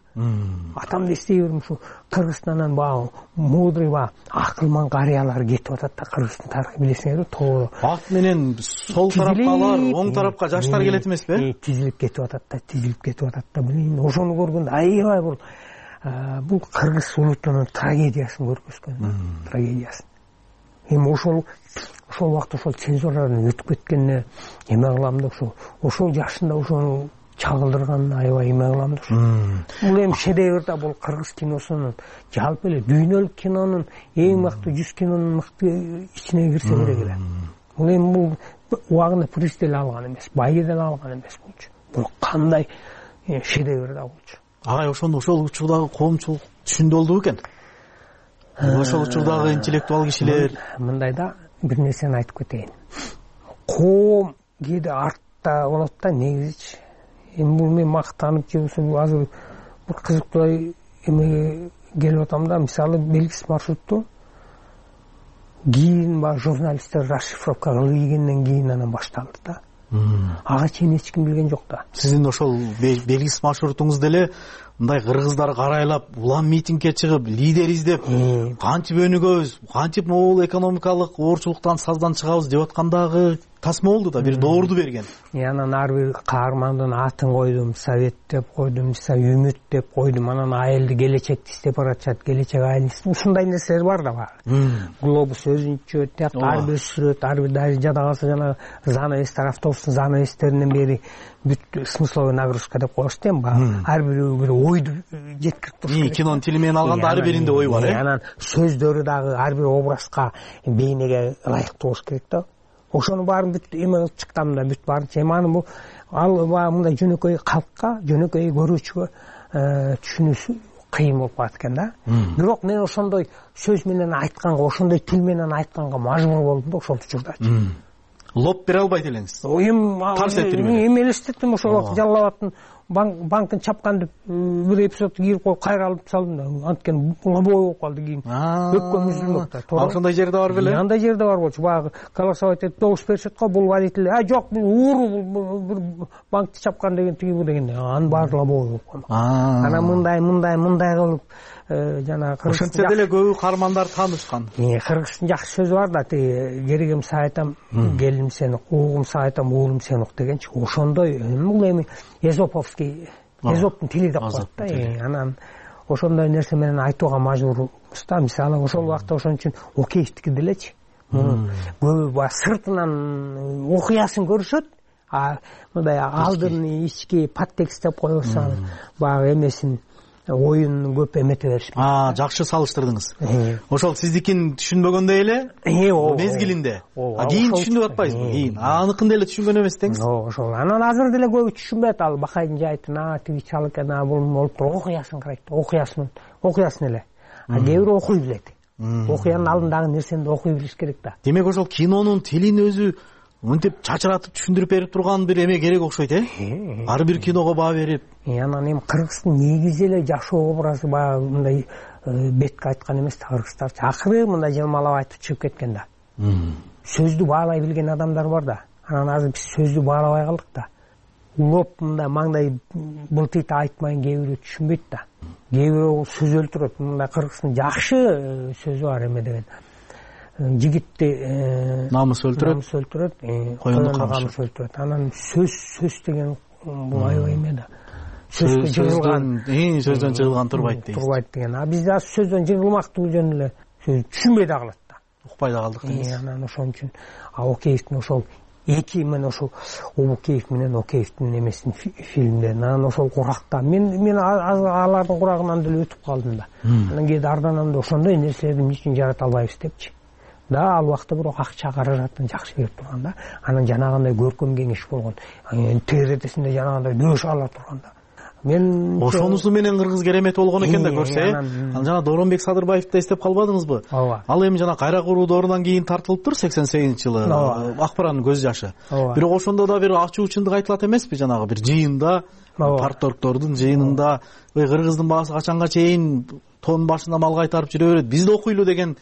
Атамды эстей берем, ушу Кыргызстандан баягы мудрый баягы акылман карыялар кетип атат да. Кыргыздын тарыхы билесиңерби, тоодо. Бак менен сол тарапкалар, оң тарапка жаштар келет эмеспи? Тизилип кетип атат да, тизилип кетип атат да. Билин, ошону көргөндө аябай бул бул кыргыз улутунун трагедиясын көргөзгөн, трагедиясын. Эми ошол ошол убакта ошол цензурадан өтүп кеткенине эме кылам да, ошо ошол жашында ошону чагылдырганына аябай эме кылам да. Бул эми шедевр да, бул кыргыз киносунун жалпы эле дүйнөлүк кинонун эң мыкты жүз кинонун мыкты ичине кирсе керек эле. Бул эми бул убагында приз деле алган эмес, байгеден алган эмес болчу. Бул кандай шедевр да болчу. Агай, ошону ошол учурдагы коомчулук түшүндү болду экен. Ошол учурдагы интеллектуал кишилер мындай да бир нерсени айтып кетейин. Коом кээде артта болот да негизичи. Эми бул мен мактанып же болбосо азыр бир кызыктуу эмеге келип атам да, мисалы белгисиз маршрутту кийин баягы журналисттер расшифровка кылып ийгенден кийин анан башталды да. Ага чейин эч ким билген жок да. Сиздин ошол белгисиз маршрутуңуз деле мындай кыргыздар карайлап, улам митингге чыгып, лидер издеп, кантип өнүгөбүз, кантип могул экономикалык оорчулуктан саздан чыгабыз деп аткандагы тасма болду да, бир доорду берген. Анан ар бир каармандын атын койдум, совет деп койдум, үмүт деп койдум, анан айылды келечекти издеп баратышат, келечек айыл. Ушундай нерселер бар да бар. Глобус өзүнчө, тиякта ар бир сүрөт, ар бир даже жада калса жана занавестер, автобустун занавестеринен бери бүт смысловой нагрузка деп коюшт эми баягы. Ар бирөө бир ойду жеткирип туруш. Кинонун тили менен алганда ар биринде ой бар, э? Анан сөздөрү дагы ар бир образга, бейнеге ылайыктуу болуш керек да. Ошону баарын бүт эме кылып чыктым да, бүт баарын чеманы бул ал баягы мындай жөнөкөй калкка, жөнөкөй көрүүчүгө түшүнүүсү кыйын болуп калат экен да. Бирок мен ошондой сөз менен айтканга, ошондой тил менен айтканга мажбур болдум да ошол учурдачы. Лоп бере албайт элеңиз. Эми тарс эттирме? Эми элестеттим ошол убакта Жалал абадтын банкын чапкан деп бир эпизодду кирип коюп кайра алып салдым да. Анткени лобой болуп калды кийин. Өккөн үзүлмөк да. Ошондой жерде бар беле? Андай жерде бар болчу. Баягы голосовать этип добуш беришет го, бул водитель, а жок, ууру бир банкты чапкан деген тиги бу деген. Анын баары лобой болуп калды. Анан мындай, мындай, мындай кылып жана ошентсе деле көбү каармандар таанышкан. Кыргыздын жакшы сөзү бар да, тиги керегим сага айтам, келим сени, угум сага айтам, уулум сени ук дегенчи. Ошондой бул эми эзоповский, эзоптун тили деп коет да. Анан ошондой нерсе менен айтууга мажбурбуз да. Мисалы ошол убакта ошон үчүн Океевтики делечи. Көбү баягы сыртынан окуясын көрүшөт, а мындай алдын ички подтекст деп коебузса, баягы эмесин оюн көп эмете беришпейт. А, жакшы салыштырдыңыз. Ошол сиздикин түшүнбөгөндөй эле мезгилинде. А кийин түшүнүп атпайсызбы? Кийин аныкын деле түшүнгөн эмес деңиз. Ошол. Анан азыр деле көбү түшүнбөйт. Ал Бакайдын жайтын, а тиги чал экен, а бул болуп туруп окуясын карайт. Окуясын, окуясын эле. А кээ бирөө окуй билет. Окуянын алдындагы нерсени окуй билиш керек да. Демек ошол кинонун тилин өзү мынтип чачыратып түшүндүрүп берип турган бир эме керек окшойт, э? Ар бир киного баа берип. Анан эми Кыргыздын негизи эле жакшы образы баягы мындай бетке айткан эмес да, кыргыздарчы. Акыры мындай жылмалап айтып чыгып кеткен да. Сөздү баалай билген адамдар бар да. Анан азыр биз сөздү баалабай калдык да. Улоп мындай маңдай былтыйт айтмайын кээ бирөө түшүнбөйт да. Кээ бирөө сөз өлтүрөт. Мындай Кыргыздын жакшы сөзү бар эме деген. жигитти намыс өлтүрөт, намыс өлтүрөт, коюнду камыш өлтүрөт. Анан сөз сөз деген бул аябай эме да. Сөздөн жыгылган, сөздөн жыгылган турбайт дейт. Турбайт деген. А бизде сөздөн жыгылмактуу жөн эле түшүнбөй да калат да. Укпай да калдык дейсиз. Анан ошон үчүн Океевдин ошол эки мен ошол Обукеев менен Океевдин эмесин фильмдерин анан ошол куракта мен мен алардын курагынан деле өтүп калдым да. Анан кээде арданамда ошондой нерселерди эмне үчүн жарата албайбыз депчи. Да, ал убакта бирок акча каражатын жакшы берип турган да. Анан жанагындай көркөм кеңеш болгон. ТРТсинде жанагындай дөш ала турган да. Мен ошонусу менен кыргыз керемет болгон экен да көрсө. Анан жана Доронбек Садырбаевди эстеп калбадыңызбы? Ал эми жана кайра куруу доорунан кийин тартылыптыр сексен сегизинчи жылы. Акбаранын көз жашы. Бирок ошондо да бир ачуу чындык айтылат эмеспи? Жанагы бир жыйында, парторгдордун жыйынында кыргыздын баасы качанга чейин тон башына мал кайтарып жүрө берет, биз да окуйлу деген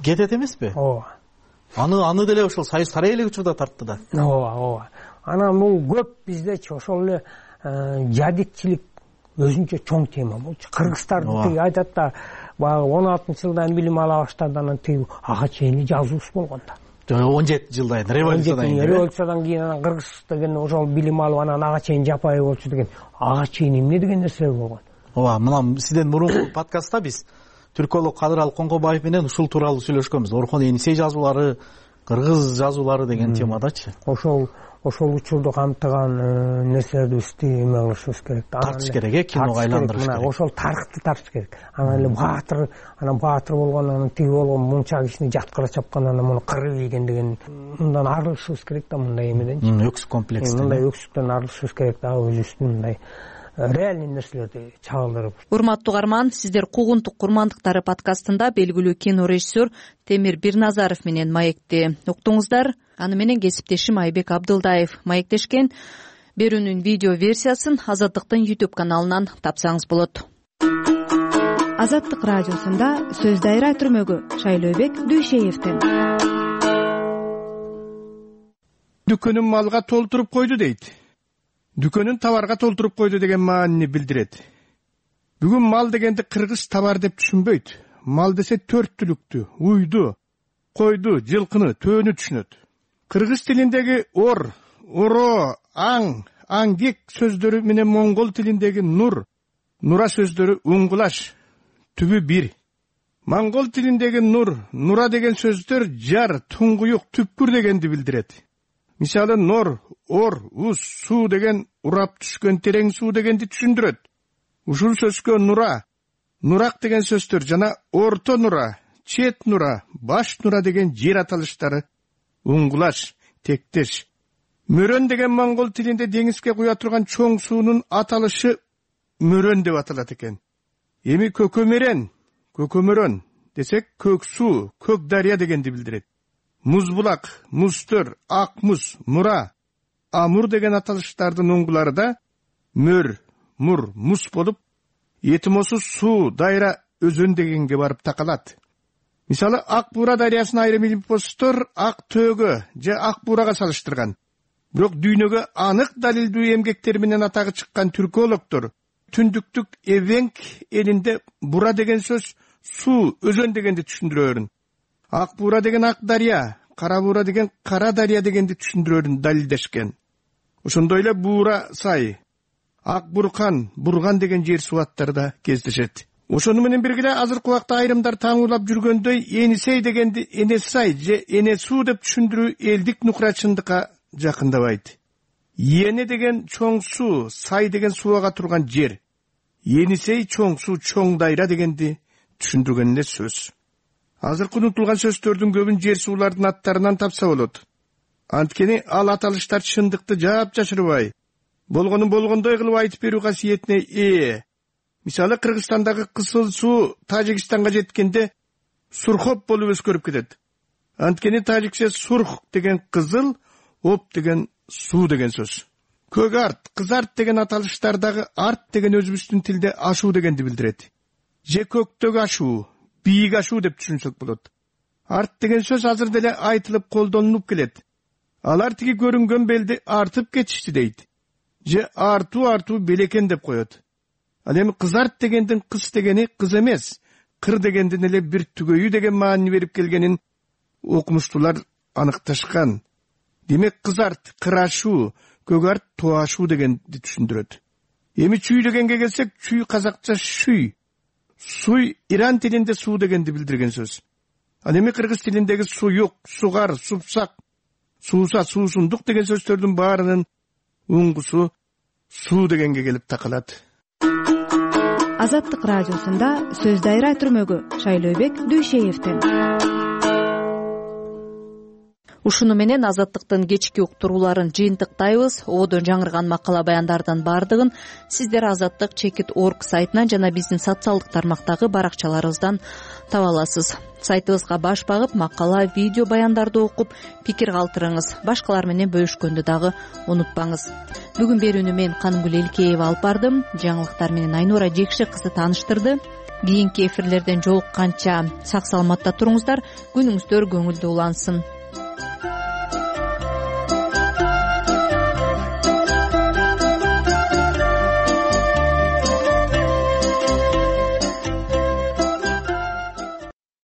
кетет эмеспи? Ооба. Аны аны деле ошол Союз сарайы эле учурда тартты да. Ооба, ооба. Анан бул көп биздечи ошол эле жадитчилик өзүнчө чоң тема болчу. Кыргызстарды тиги айтат да, баягы он алтынчы жылдан билим ала баштады, анан тиги ага чейин жазуусу болгон да. он жети жылдан революциядан кийин. Революциядан кийин анан кыргыз деген ошол билим алып анан ага чейин жапайы болчу деген. Ага чейин эмне деген нерселер болгон. Ооба, мына сизден мурунку подкастта биз түркөлог Кадыралы Коңгобаев менен ушул тууралуу сүйлөшкөнбүз. Орхон Энисей жазуулары, кыргыз жазуулары деген темадачы. Ошол ошол учурду камтыган нерселерди эме кылышыбыз керек. Тартыш керек, э, киного айландырыш керек. Ошол тарыхты тартыш керек. Анан эле баатыр, анан баатыр болгон, анан тиги болгон мунча кишини жаткыра чапкан, анан муну кырып ийген деген мындан арылышыбыз керек да, мындай эмеден. Өксүк комплекстен. Мындай өксүктөн арылышыбыз керек да, өзүбүздүн мындай реальный нерселерди чагылдырып. Урматтуу угарман, сиздер Куугунтук курмандыктары подкастында белгилүү кинорежиссер Темир Бирназаров менен маекти уктуңуздар. Аны менен кесиптешим Айбек Абдылдаев маектешкен. Берүүнүн видео версиясын Азаттыктын YouTube каналынан тапсаңыз болот. Азаттык радиосунда сөз дайра түрмөгү Шайлообек Дүйшеевден. Дүкөнүн малга толтуруп койду дейт. Дүкөнүн товарга толтуруп койду деген маанини билдирет. Бүгүн мал дегенди кыргыз товар деп түшүнбөйт. Мал десе төрт түлүктү, уйду, койду, жылкыны, төөнү түшүнөт. Кыргыз тилиндеги ор, оро, аң, аңгек сөздөрү менен моңгол тилиндеги нур, нура сөздөрү уңгулаш, түбү бир. Моңгол тилиндеги нур, нура деген сөздөр жар, туңгуюк, түпкүр дегенди билдирет. Мисалы нор, ор, уз, суу деген урап түшкөн терең суу дегенди түшүндүрөт. Ушул сөзгө нура, нурак деген сөздөр жана орто нура, чет нура, баш нура деген жер аталыштары уңгулаш, тектеш. Мөрөн деген моңгол тилинде деңизге куя турган чоң суунун аталышы мөрөн деп аталат экен. Эми көкөмөрөн, көкөмөрөн десек көк суу, көк дарыя дегенди билдирет. Музбулак, музтөр, ак муз, мура, амур деген аталыштардын уңгулары да мөр, мур, муз болуп, этимосу суу, дайра, өзөн дегенге барып такалат. Мисалы, Ак Буура дарыясын айрым илимпоздор ак төөгө же ак буурага салыштырган. Бирок дүйнөгө анык далилдүү эмгектер менен атагы чыккан түркологдор түндүктүк Эвенк элинде бура деген сөз суу, өзөн дегенди түшүндүрөрүн. Ак Буура деген ак дарыя, Кара Буура деген кара дарыя дегенди түшүндүрөрүн далилдешкен. Ошондой эле Буура сай, Ак Буркан, Бурган деген жер субаттары да кездешет. Ошону менен бирге азыркы убакта айрымдар таңуулап жүргөндөй Энисей дегенди Энесай же Энесуу деп түшүндүрүү элдик нукрачындыкка жакындабайт. Эне деген чоң суу, сай деген сууга турган жер. Энисей чоң суу, чоң дайра дегенди түшүндүргөн эле сөз. Азыркы унутулган сөздөрдүн көбүн жер суулардын аттарынан тапса болот. Анткени ал аталыштар чындыкты жаап жашырбай, болгонун болгондой кылып айтып берүү касиетине ээ. Мисалы, Кыргызстандагы кызыл суу Тажикстанга жеткенде сурхоп болуп өзгөрүп кетет. Анткени тажикче сурх деген кызыл, оп деген суу деген сөз. Көк арт, кыз арт деген аталыштардагы арт деген өзүбүздүн тилде ашуу дегенди билдирет. Же көктөгү ашуу, бийик ашуу деп түшүнсөк болот. Арт деген сөз азыр деле айтылып колдонулуп келет. Алар тиги көрүнгөн белди артып кетишти дейт. Же артуу артуу белекен деп коет. Ал эми кыз арт дегендин кыз дегени кыз эмес, кыр дегендин эле бир түгөйү деген маани берип келгенин окумуштуулар аныкташкан. Демек кызарт, кырашуу, көгарт, туашуу дегенди түшүндүрөт. Эми чүй дегенге келсек, чүй казакча шүй. Суй иран тилинде суу дегенди билдирген сөз. Ал эми кыргыз тилиндеги суюк, сугар, супсак, сууса, суусундук деген сөздөрдүн баарынын уңгусу суу дегенге келип такалат. Азаттык радиосунда сөз дайра түрмөгү Шайлообек Дүйшеевден. Ушуну менен Азаттыктын кечки уктурууларын жыйынтыктайбыз. Одон жаңырган макала баяндардын баардыгын сиздер азаттык чекит точка орг сайтынан жана биздин социалдык тармактагы баракчаларыбыздан таба аласыз. Сайтыбызга баш багып, макала, видео баяндарды окуп, пикир калтырыңыз. Башкалар менен бөлүшкөндү дагы унутпаңыз. Бүгүн берүүнү мен Канымгүл Элкеева алып бардым. Жаңылыктар менен Айнура Жекши кызы тааныштырды. Кийинки эфирлерден жолукканча сак саламатта туруңуздар, күнүңүздөр көңүлдүү улансын.